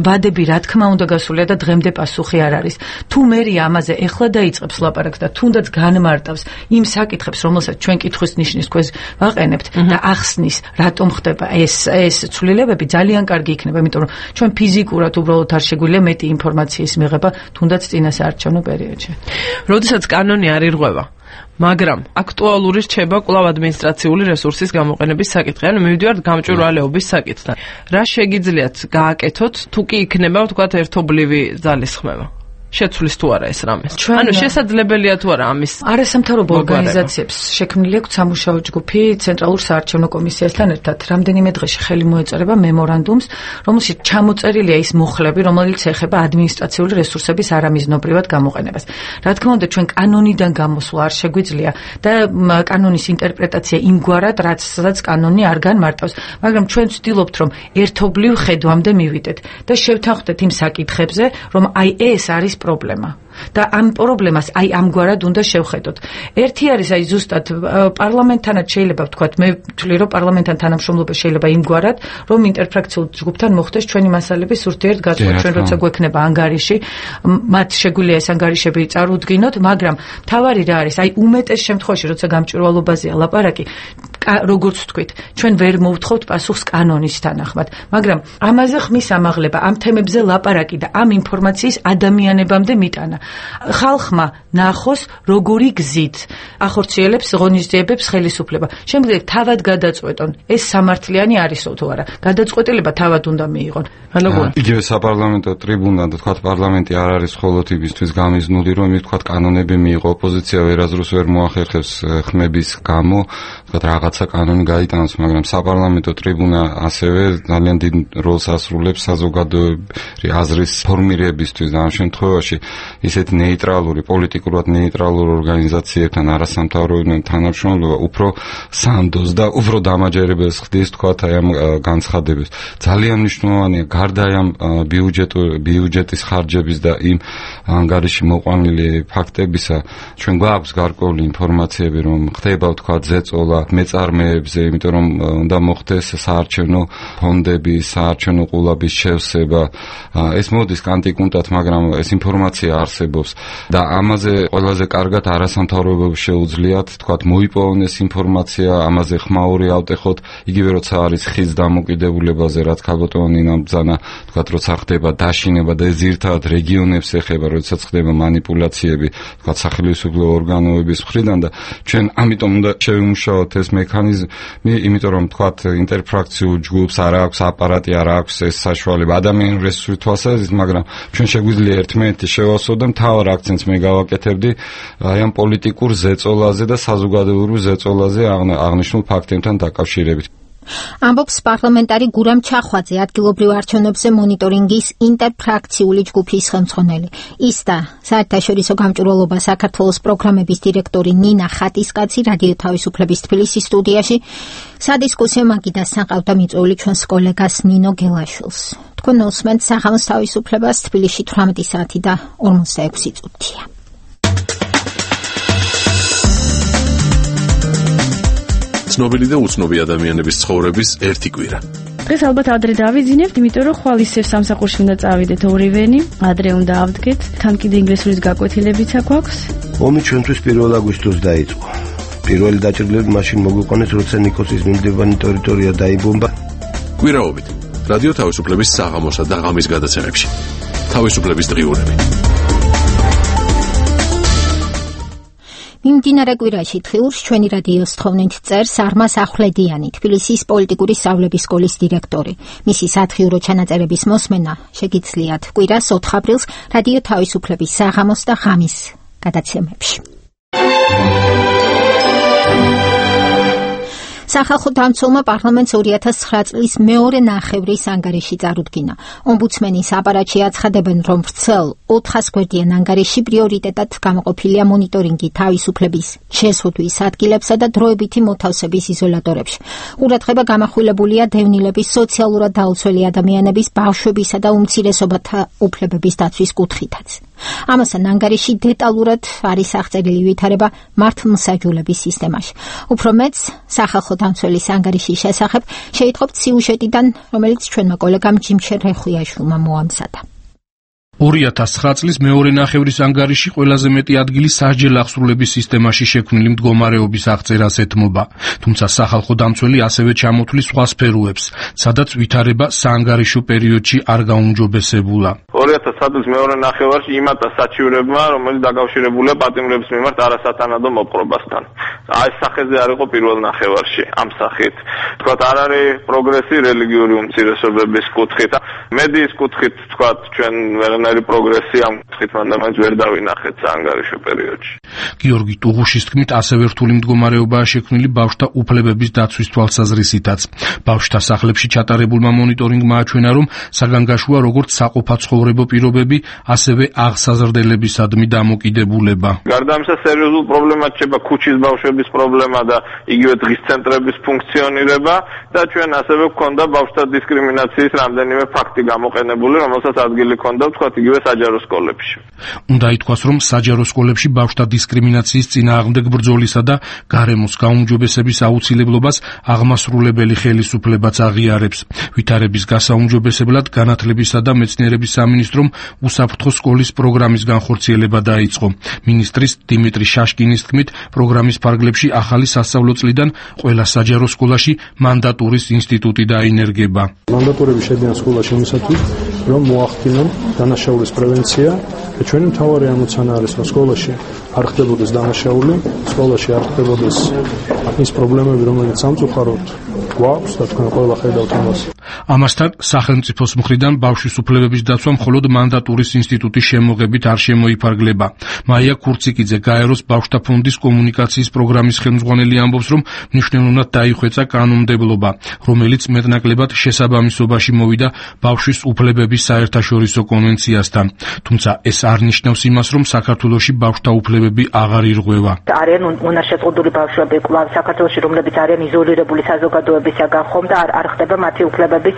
ვადები რა თქმა უნდა გასულია და დღემდე პასუხი არ არის. თუ მერია ამაზე ეხლა დაიწყებს ლაპარაკს და თუნდაც განმარტავს იმ საკითხებს, რომელსაც ჩვენ კითხვის ნიშნის ქვეშ ვაყენებთ და ახსნის, რატომ ხდება ეს ცვლილებები, ძალიან კარგი იქნება, იმიტომ რომ ჩვენ ფიზიკურად უბრალოდ არ შეგვიძლია მეტი ინფორმაციის მიღება, თუნდაც წინა საარჩევნო პერიოდში. როდესაც კანონი არ ირღვევა, მაგრამ აქტუალური რჩება კვლავ ადმინისტრაციული რესურსის გამოყენების საკითხი, ანუ მივიდივართ გამჭვირვალეობის საკითხთან. რა შეგიძლიათ გააკეთოთ, თუ კი იქნება, ვთქვათ, ერთობლივი ძალისხმევა? შეცვლის თუ არა ეს რამე. ანუ შესაძლებელია თუ არა ამის არასამთავრობო ორგანიზაციებს შექმნილი აქვს სამუშაო ჯგუფი ცენტრალურ საარჩევნო კომისიასთან ერთად. რამდენიმე დღეში ხელი მოეწერება მემორანდუმს, რომელშიც ჩამოწერილია ის მუხლები, რომელიც ეხება ადმინისტრაციული რესურსების არამიზნობრივად გამოყენებას. რა თქმა უნდა, ჩვენ კანონიდან გამოსვლა არ შეგვიძლია და კანონის ინტერპრეტაცია იმგვარად, სადაც კანონი არ განმარტავს, მაგრამ ჩვენ ვცდილობთ, რომ ერთობლივ ხედვამდე მივიდეთ და შევთანხმდეთ იმ საკითხებზე, რომ აი ეს არის პრობლემა. და ამ პრობლემას აი ამგვარად უნდა შევხედოთ. ერთი არის აი ზუსტად პარლამენტთანაც შეიძლება ვთქვათ, მე ვთვლი რომ პარლამენტთან თანამშრომლობა შეიძლება იმგვარად, რომ ინტერფრაქციულ ჯგუფთან მოხდეს ჩვენი მასალების ურთიერთ გაცვლა, ჩვენ როცა გვექნება ანგარიში, მათ შეგვიძლია ეს ანგარიშები წარუდგინოთ, მაგრამ მთავარი რა არის, აი უმეტეს შემთხვევაში, როცა გამჭვირვალობაზეა ლაპარაკი, როგორც ვთქვით, ჩვენ ვერ მოვთხოვთ პასუხს კანონის თანახმად, მაგრამ ამაზე ხმის ამაღლება, ამ თემებზე ლაპარაკი და ამ ინფორმაციის ადამიანებამდე მიტანა. ხალხმა ნახოს როგორი გზით ახორციელებს ღონისძიებებს ხელისუფლება. შემდგომ თავად გადაწყვეტონ, ეს სამართლიანი არისო თუ არა. გადაწყვეტილება თავად უნდა მიიღონ. იგივე საპარლამენტო ტრიბუნა და თქვათ პარლამენტი არ არის მხოლოდ იმისთვის გამიზნული, რომ თქვათ კანონები მიიღო, ოპოზიცია ვერაზრუს ვერ მოახერხებს ხმების გამო, თქვათ რაღაცა კანონი გაიტანოს, მაგრამ საპარლამენტო ტრიბუნა ასევე ძალიან დიდ როლს ასრულებს საზოგადოებრივი აზრის ფორმირებისთვის და ამ შემთხვევაში ისეთ ნეიტრალური, პოლიტიკურად ნეიტრალურ ორგანიზაციებთან არასამთავრობო თანამშრომლობა უფრო სანდოს და უფრო დამაჯერებელს ხდის თქვათ აი ამ განცხადებას. ძალიან მნიშვნელოვანია გარდა ამ ბიუჯეტის ხარჯების და იმ ანგარიში მოყვანილი ფაქტებისა, ჩვენ გვაქვს გარკვეული ინფორმაციები, რომ ხდება თქვათ ზეწოლა მეწარმეებზე, იმიტომ რომ უნდა მოხდეს საარჩევნო ფონდები, საარჩევნო ყულაბის შევსება. ეს მოდის კანტიკუნტად, მაგრამ ეს ინფორმაცია არსებობს და ამაზე ყველაზე კარგად არასამთავრობოებს შეუძლიათ თქვათ მოიპოვონ ეს ინფორმაცია, ამაზე ხმაური ავტეხოთ, იგივე როცა არის ხის დამოკიდებულებაზე, რაც ქალბატონი ნამბძანა თქვათ როცა ხდება დაშინება და ზირთად რეგიონებს ეხება, როდესაც ხდება манипуляციები თქვათ სახელმწიფო ორგანოების მხრიდან და ჩვენ ამიტომ უნდა შევიმუშაოთ ეს მექანიზმი, იმიტომ რომ თქვათ ინტერფრაქციულ ჯგუფს არ აქვს აპარატი, არ აქვს ეს საშუალება ადამიანური რესურსის თვალსაზრისით, მაგრამ ჩვენ შეგვიძლია ერთმანეთი შევასწავლოთ და მთავარ აქცენტს მე გავაკეთებდი აი ამ პოლიტიკურ ზეწოლაზე და საზოგადოებრივ ზეწოლაზე აღნიშნულ ფაქტებთან დაკავშირებით. ამბობს პარლამენტარი გურამ ჩახვაძე, ადგილობრივ არჩევნებზე მონიტორინგის ინტერფრაქციული ჯგუფის ხელმძღვანელი. ის და საერთაშორისო გამჭვირვალობა საქართველოს პროგრამების დირექტორი ნინა ხატისკაცი რადიო თავისუფლების თბილისის სტუდიაში სადისკუსიო მაგიდასთან ყავდა მიწვეული ჩვენს კოლეგას ნინო გელაშვილს. თქვენ უსმენთ საღამოს თავისუფლებას, თბილისში 18 საათი და 46 წუთია. ცნობილი და უცნობი ადამიანების ცხოვრების ერთი კვირა. დღეს ალბათ ადრე დავიძინებთ, იმიტომ რომ ხვალ ისევ სამსახურში უნდა წავიდეთ ორივენი, ადრე უნდა ავდგეთ, თან კიდე ინგლისურის გაკვეთილებიც აქვს. ომი ჩვენთვის 1 აგვისტოს დაიწყო. პირველი დაჭრილები მაშინ მოგვიყვანეს, როცა ნიკოსის მიმდებარე ტერიტორია დაიბომბა. კვირაობით რადიო თავისუფლების საღამოსა და ღამის გადაცემებში. თავისუფლების დღიურები. მიმდინარე კვირაში თხიურს ჩვენი რადიოს თხოვნით წერს არმას ახვლედიანი, თბილისის პოლიტიკური სწავლების სკოლის დირექტორი. მისი სათხიურო ჩანაწერების მოსმენა შეგიძლიათ კვირას 4 აპრილს რადიო თავისუფლების საღამოს და ღამის გადაცემებში. სახალხო დამცველმა პარლამენტს 2009 წლის მეორე ნახევრის ანგარიში წარუდგინა. ომბუდსმენის აპარატში აცხადებენ, რომ ვრცელ 400 გვერდიან ანგარიში პრიორიტეტად გამოყოფილია მონიტორინგი თავისუფლების შესხდვის ადგილებსა და დროებითი მოთავსების იზოლატორებში. ყურადღება გამახვილებულია დევნილების, სოციალურად დაუცველი ადამიანების, ბავშვებისა და უმცირესობათა უფლებების დაცვის კუთხითაც. ამასთან ანგარიში დეტალურად არის აღწერილი ვითარება მართლმსაჯულების სისტემაში. უფრო მეც სახალხო დამცველის ანგარიშის შესახებ შეიტყობთ სიუჟეტიდან, რომელიც ჩვენმა კოლეგამ ჯიმშერ რეხვიაშვილმა მოამზადა. 2009 წლის მეორე ნახევრის ანგარიში ყველაზე მეტი ადგილი სასჯელ აღსრულების სისტემაში შექმნილი მდგომარეობის აღწერას ეთმობა, თუმცა სახალხო დამცველი ასევე ჩამოთვლის სხვა სფეროებს, სადაც ვითარება საანგარიშო პერიოდში არ გაუმჯობესებულა. 2009 წლის მეორე ნახევარში იმატა საჩივრებმა, რომელიც დაკავშირებულია პატიმრების მიმართ არასათანადო მოპყრობასთან. აი სახეზე არ იყო პირველ ნახევარში ამ სახით. თქვათ არ არის პროგრესი რელიგიური უმცირესობების კუთხით, მედიის კუთხით, თქვათ ჩვენ ვერანაირ ყველანაირი პროგრესი ამ კუთხით მანდ ვერ დავინახეთ საანგარიშო პერიოდში. გიორგი ტუღუშის თქმით, ასევე რთული მდგომარეობაა შექმნილი ბავშვთა უფლებების დაცვის თვალსაზრისითაც. ბავშვთა სახლებში ჩატარებულმა მონიტორინგმა აჩვენა, რომ საგანგაშოა როგორც საყოფაცხოვრებო პირობები, ასევე აღსაზრდელებისადმი დამოკიდებულება. გარდა ამისა, სერიოზულ პრობლემად შეება ქუჩის ბავშვების პრობლემა და იგივე დღის ცენტრების ფუნქციონირება და ჩვენ ასევე გვქონდა ბავშვთა დისკრიმინაციის რამდენიმე ფაქტი გამოყენებული, რომელსაც ადგილი ჰქონდა ვთქვათ იგივე საჯარო სკოლებში. უნდა ითქვას, რომ საჯარო სკოლებში ბავშვთა დისკრიმინაციის წინააღმდეგ ბრძოლისა და გარემოს გაუმჯობესების აუცილებლობას აღმასრულებელი ხელისუფლებაც აღიარებს. ვითარების გასაუმჯობესებლად განათლებისა და მეცნიერების სამინისტრომ უსაფრთხო სკოლის პროგრამის განხორციელება დაიწყო. მინისტრის დიმიტრი შაშკინის თქმით, პროგრამის ფარგლებში ახალი სასწავლო წლიდან ყველა საჯარო სკოლაში მანდატურის ინსტიტუტი დაინერგება. მანდატურები შედიან სკოლაში იმისათვის, რომ მოახდინონ დანაშაულის პრევენცია და ჩვენი მთავარი ამოცანა არის, რომ სკოლაში არ ხდებოდეს დანაშაული, სკოლაში არ ხდებოდეს ის პრობლემები, რომელიც სამწუხაროდ გვაქვს და თქვენ ყველა ხედავთ ამას. ამასთან სახელმწიფოს მხრიდან ბავშვის უფლებების დაცვა მხოლოდ მანდატურის ინსტიტუტის შემოღებით არ შემოიფარგლება. მაია ქურციკიძე, გაეროს ბავშვთა ფონდის კომუნიკაციის პროგრამის ხელმძღვანელი ამბობს, რომ მნიშვნელოვნად დაიხვეწა კანონმდებლობა, რომელიც მეტნაკლებად შესაბამისობაში მოვიდა ბავშვის უფლებების საერთაშორისო კონვენციასთან. თუმცა ეს არ ნიშნავს იმას, რომ საქართველოში ბავშვთა უფლებები აღარ ირღვევა. არიან უნარშეზღუდული ბავშვები კვლავ საქართველოში, რომლებიც არიან იზოლირებული საზოგადოებისაგან ხომ და არ ხდება მათი უფლებების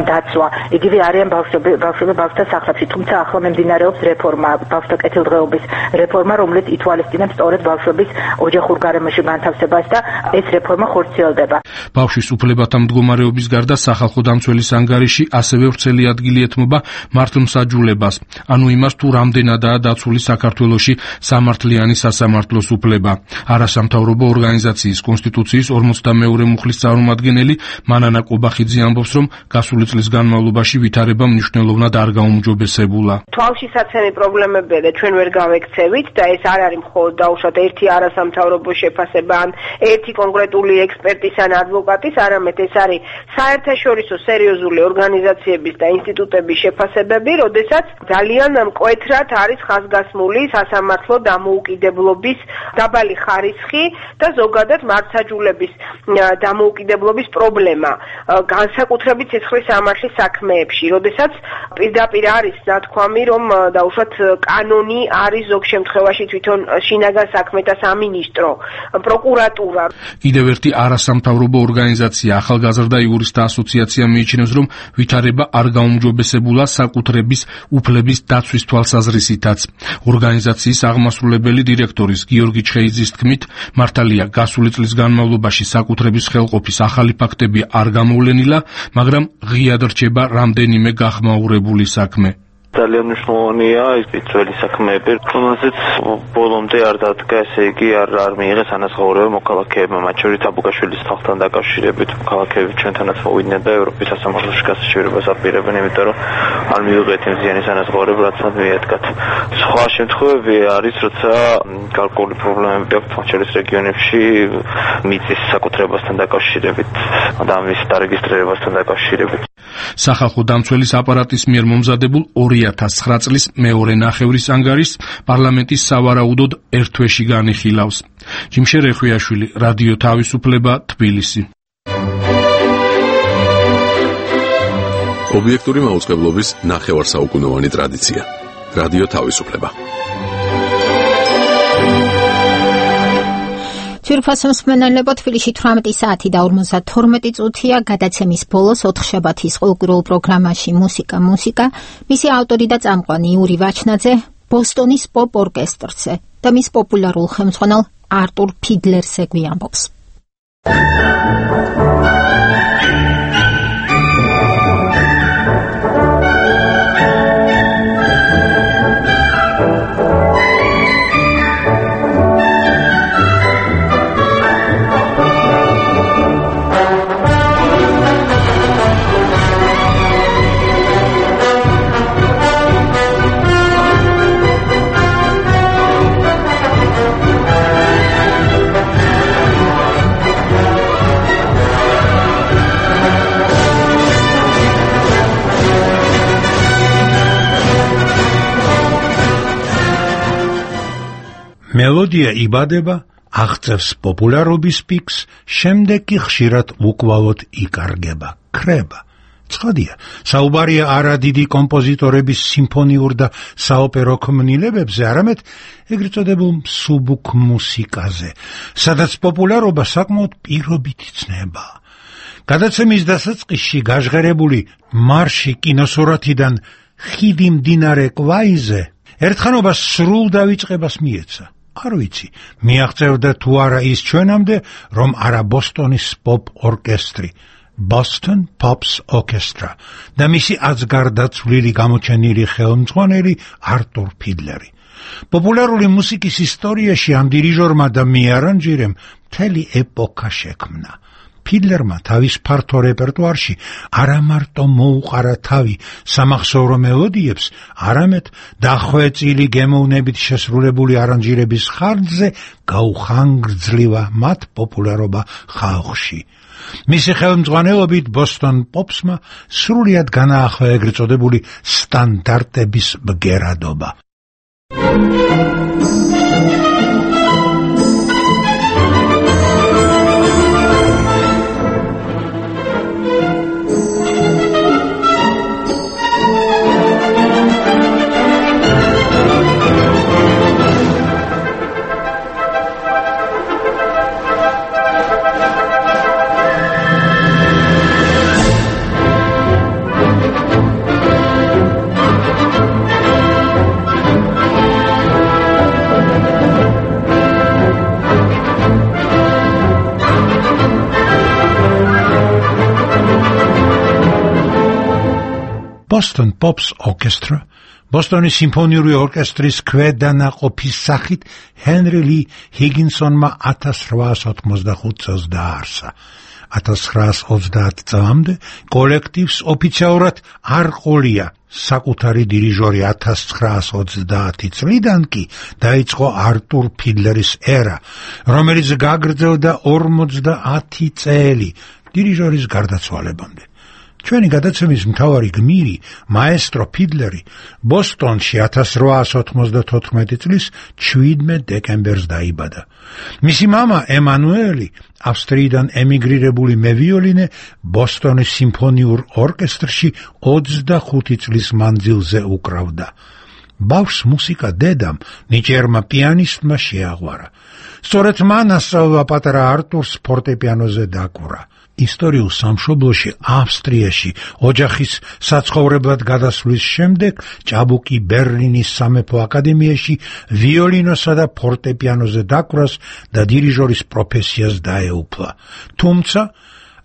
დაცვა. იგივე არიან ბავშვები ბავშვთა სახლებში, თუმცა ახლა მიმდინარეობს რეფორმა, ბავშვთა კეთილდღეობის რეფორმა, რომელიც ითვალისწინებს სწორედ ბავშვების ოჯახურ გარემოში განთავსებას და ეს რეფორმა ხორციელდება. ბავშვის უფლებათა მდგომარეობის გარდა სახალხო დამცველის ანგარიში ასევე ვრცელი ადგილი ეთმობა მართლმსაჯულებას, ანუ იმას, თუ რამდენადაა დაცული საქართველოში სამართლიანი სასამართლოს უფლება. არასამთავრობო ორგანიზაციის კონსტიტუციის 42 მუხლის წარმომადგენელი მანანა კობახიძე ამბობს, რომ გასული წლის განმავლობაში ვითარება მნიშვნელოვნად არ გაუმჯობესებულა. თვალშისაცემი პრობლემებია და ჩვენ ვერ გავექცევით და ეს არ არის მხოლოდ დაუშვათ ერთი არასამთავრობო შეფასება ან ერთი კონკრეტული ექსპერტის ან ადვოკატის, არამედ ეს არის საერთაშორისო სერიოზული ორგანიზაციების და ინსტიტუტების შეფასებები, როდესაც ძალიან მკვეთრად არის ხაზგასმული სასამართლო დამოუკიდებლობის დაბალი ხარისხი და ზოგადად მართლმსაჯულების დამოუკიდებლობის პრობლემა, განსაკუთრებით ცეცხლის სამართლის საქმეებში, როდესაც პირდაპირ არის ნათქვამი, რომ დაუშვათ კანონი არის ზოგ შემთხვევაში თვითონ შინაგან საქმეთა სამინისტრო, პროკურატურა. კიდევ ერთი არასამთავრობო ორგანიზაცია, ახალგაზრდა იურისტთა ასოციაცია მიიჩნევს, რომ ვითარება არ გაუმჯობესებულა საკუთრების უფლების დაცვის თვალსაზრისითაც. ორგანიზაციის აღმასრულებელი დირექტორის გიორგი ჩხეიძის თქმით, მართალია გასული წლის განმავლობაში საკუთრების ხელყოფის ახალი ფაქტები არ გამოვლენილა, მაგრამ ღიად რჩება რამდენიმე გახმაურებული საქმე. ძალიან მნიშვნელოვანია ის ძველი საქმეები, რომელზეც ბოლომდე არ დადგა, ესე იგი არ მიიღეს ანაზღაურება მოქალაქეებმა, მათ შორის აბუგაშვილის ხალხთან დაკავშირებით. მოქალაქეები ჩვენთანაც მოვიდნენ და ევროპის სასამართლოში გასაშვებებას აპირებენ, იმიტომ რომ არ მიიღეთ იმ ზიანის ანაზღაურება, რაც მათ მიადგათ. სხვა შემთხვევები არის, როცა გარკვეული პრობლემები აქვს, მათ შორის რეგიონებში მიწის საკუთრებასთან დაკავშირებით და ამის დარეგისტრირებასთან დაკავშირებით. სახალხო დამცველის აპარატის მიერ მომზადებულ 2009 წლის მეორე ნახევრის ანგარიშს პარლამენტის სავარაუდოდ ერთ თვეში განიხილავს. ჯიმშე რეხვიაშვილი, რადიო თავისუფლება, თბილისი. ობიექტური მაუწყებლობის ნახევარსაუკუნოვანი ტრადიცია. რადიო თავისუფლება. ძვირფასო მსმენელებო, თბილისში 18 საათი და 52 წუთია. გადაცემის ბოლოს 4 შაბათის ყოველკვირეულ პროგრამაში მუსიკა, მისი ავტორი და წამყვანი იური ვაჩნაძე ბოსტონის პოპ ორკესტრზე და მის პოპულარულ ხელმძღვანელ არტურ ფიდლერზე გვიამბობს. მელოდია იბადება, აღწევს პოპულარობის პიკს, შემდეგ კი ხშირად უკვალოდ იკარგება, ქრება. ცხადია, საუბარია არა დიდი კომპოზიტორების სიმფონიურ და საოპერო ქმნილებებზე, არამედ ეგრეთ წოდებულ მსუბუქ მუსიკაზე, სადაც პოპულარობა საკმაოდ პირობით იცნება. გადაცემის დასაწყისში გაჟღერებული მარში კინოსურათიდან ხიდი მდინარე კვაიზე ერთხანობას სრულ დავიწყებას მიეცა. არ ვიცი, მიაღწევდა თუ არა ის ჩვენამდე, რომ არა ბოსტონის პოპ ორკესტრი, Boston Pops Orchestra და მისი აცგარდაცვლილი გამოჩენილი ხელმძღვანელი არტურ ფიდლერი. პოპულარული მუსიკის ისტორიაში ამ დირიჟორმა და მიარანჟირემ მთელი ეპოქა შექმნა. ფიდლერმა თავის ფართო რეპერტუარში არა მარტო მოუყარა თავი სამახსოვრო მელოდიებს, არამედ დახვეწილი გემოვნებით შესრულებული არანჟირების ხარჯზე გაუხანგრძლივა მათ პოპულარობა ხალხში. მისი ხელმძღვანელობით ბოსტონ პოპსმა სრულიად განაახლა ეგრეთ წოდებული სტანდარტების ბგერადობა. Boston Pops Orchestra, ბოსტონის სიმფონიური ორკესტრის ქვედანაყოფის სახით ჰენრი ლი ჰიგინსონმა 1885 წელს დააარსა. 1930 წლამდე კოლექტივს ოფიციალურად არ ყოლია საკუთარი დირიჟორი. 1930 წლიდან კი დაიწყო არტურ ფიდლერის ერა, რომელიც გაგრძელდა 50 წელი დირიჟორის გარდაცვალებამდე. ჩვენი გადაცემის მთავარი გმირი, მაესტრო ფიდლერი, ბოსტონში 1894 წლის 17 დეკემბერს დაიბადა. მისი მამა ემანუელი, ავსტრიიდან ემიგრირებული მევიოლინე, ბოსტონის სიმფონიურ ორკესტრში 25 წლის მანძილზე უკრავდა. ბავშვს მუსიკა დედამ, ნიჭიერმა პიანისტმა შეაღვარა. სწორედ მან ასწავლა პატარა არტურს ფორტეპიანოზე დაკვრა. ისტორიულ სამშობლოში, ავსტრიაში, ოჯახის საცხოვრებლად გადასვლის შემდეგ ჭაბუკი ბერლინის სამეფო აკადემიაში ვიოლინოსა და ფორტეპიანოზე დაკვრას და დირიჟორის პროფესიას დაეუფლა. თუმცა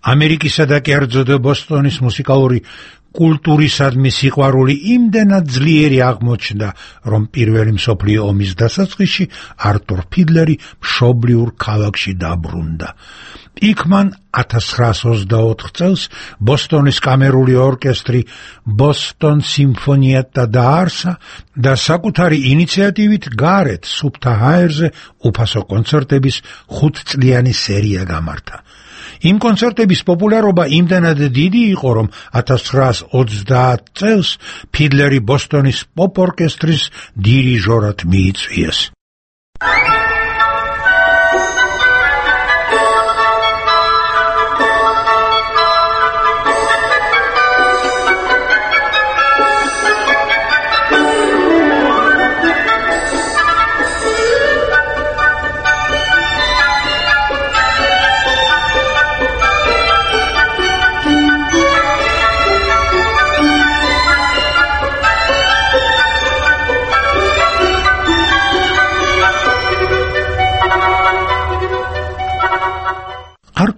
ამერიკისა და კერძოდ ბოსტონის მუსიკალური კულტურისადმი სიყვარული იმდენად ძლიერი აღმოჩნდა, რომ პირველი მსოფლიო ომის დასაწყისში არტურ ფიდლერი მშობლიურ ქალაქში დაბრუნდა. იქ მან 1924 წელს ბოსტონის კამერული ორკესტრი ბოსტონ სიმფონიეტა დააარსა და საკუთარი ინიციატივით გარეთ სუფთა ჰაერზე უფასო კონცერტების 5-წლიანი სერია გამართა. იმ კონცერტების პოპულარობა იმდენად დიდი იყო, რომ 1930 წელს ფიდლერი ბოსტონის პოპ ორკესტრის დირიჟორად მიიწვიეს.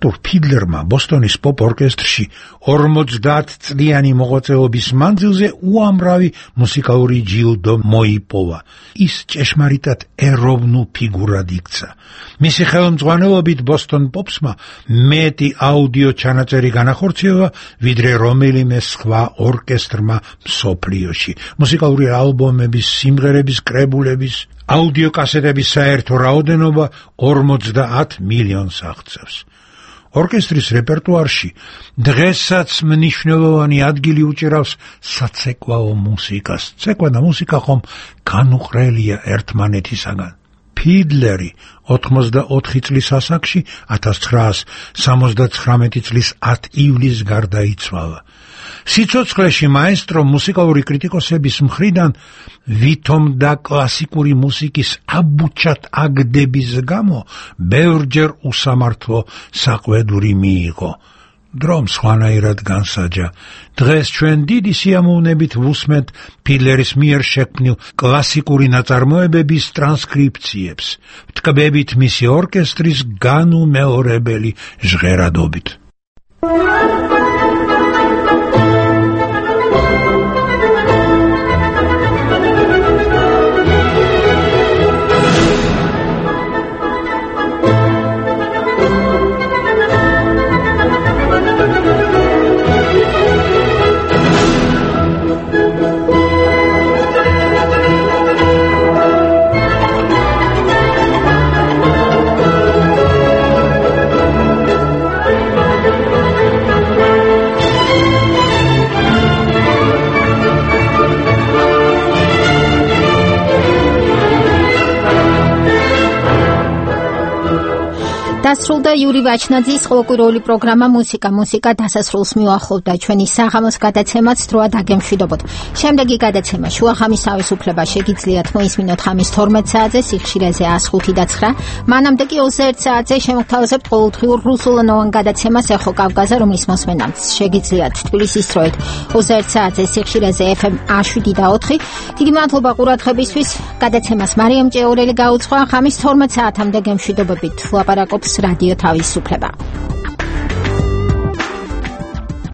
არტურ ფიდლერმა ბოსტონის პოპ ორკესტრში 50 წლიანი მოღვაწეობის მანძილზე უამრავი მუსიკალური ჯილდო მოიპოვა. ის ჭეშმარიტად ეროვნულ ფიგურად იქცა. მისი ხელმძღვანელობით ბოსტონ პოპსმა მეტი აუდიო ჩანაწერი განახორციელა, ვიდრე რომელიმე სხვა ორკესტრმა მსოფლიოში. მუსიკალური ალბომების, სიმღერების, კრებულების, აუდიო კასეტების საერთო რაოდენობა 50 მილიონს აღწევს. ორკესტრის რეპერტუარში დღესაც მნიშვნელოვანი ადგილი უჭირავს საცეკვაო მუსიკას. ცეკვა და მუსიკა ხომ განუყრელია ერთმანეთისაგან. ფიდლერი 84 წლის ასაკში 1979 წლის 10 ივლისს გარდაიცვალა. სიცოცხლეში მაესტრო მუსიკალური კრიტიკოსების მხრიდან ვითომ და კლასიკური მუსიკის აბუჩად აგდების გამო ბევრჯერ უსამართლო საყვედური მიიღო. დრომ სხვანაირად განსაჯა. დღეს ჩვენ დიდი სიამოვნებით ვუსმენთ ფიდლერის მიერ შექმნილ კლასიკური ნაწარმოებების ტრანსკრიფციებს, ვთქმებით მისი ორკესტრის განუმეორებელი ჟღერადობით. დასრულდა იური ვაჩნაძის ყოველკვირეული პროგრამა მუსიკა დასასრულს მიუახლოვდა. ჩვენი საღამოს გადაცემაც დროა დაგემშვიდობოთ. შემდეგი გადაცემა შუახამის თავისუფლება შეგიძლიათ მოისმინოთ ხამის 12 საათზე სიხშირეზე 105 და 9. მანამდე კი 21 საათზე შემოგთავაზებთ ყოველდღიურ რუსულენოვან გადაცემას ეხო კავკაზე, რომლის მოსმენაც შეგიძლიათ თბილისის დროით 21 საათზე სიხშირეზე FM 107 და 4. დიდი მადლობა ყურადღებისთვის. გადაცემას მარიამ ჭეორელი გაუძღვა. ხამის 12 საათამდე გემშვიდობებით. ლაპარაკობს რადიო თავისუფლება.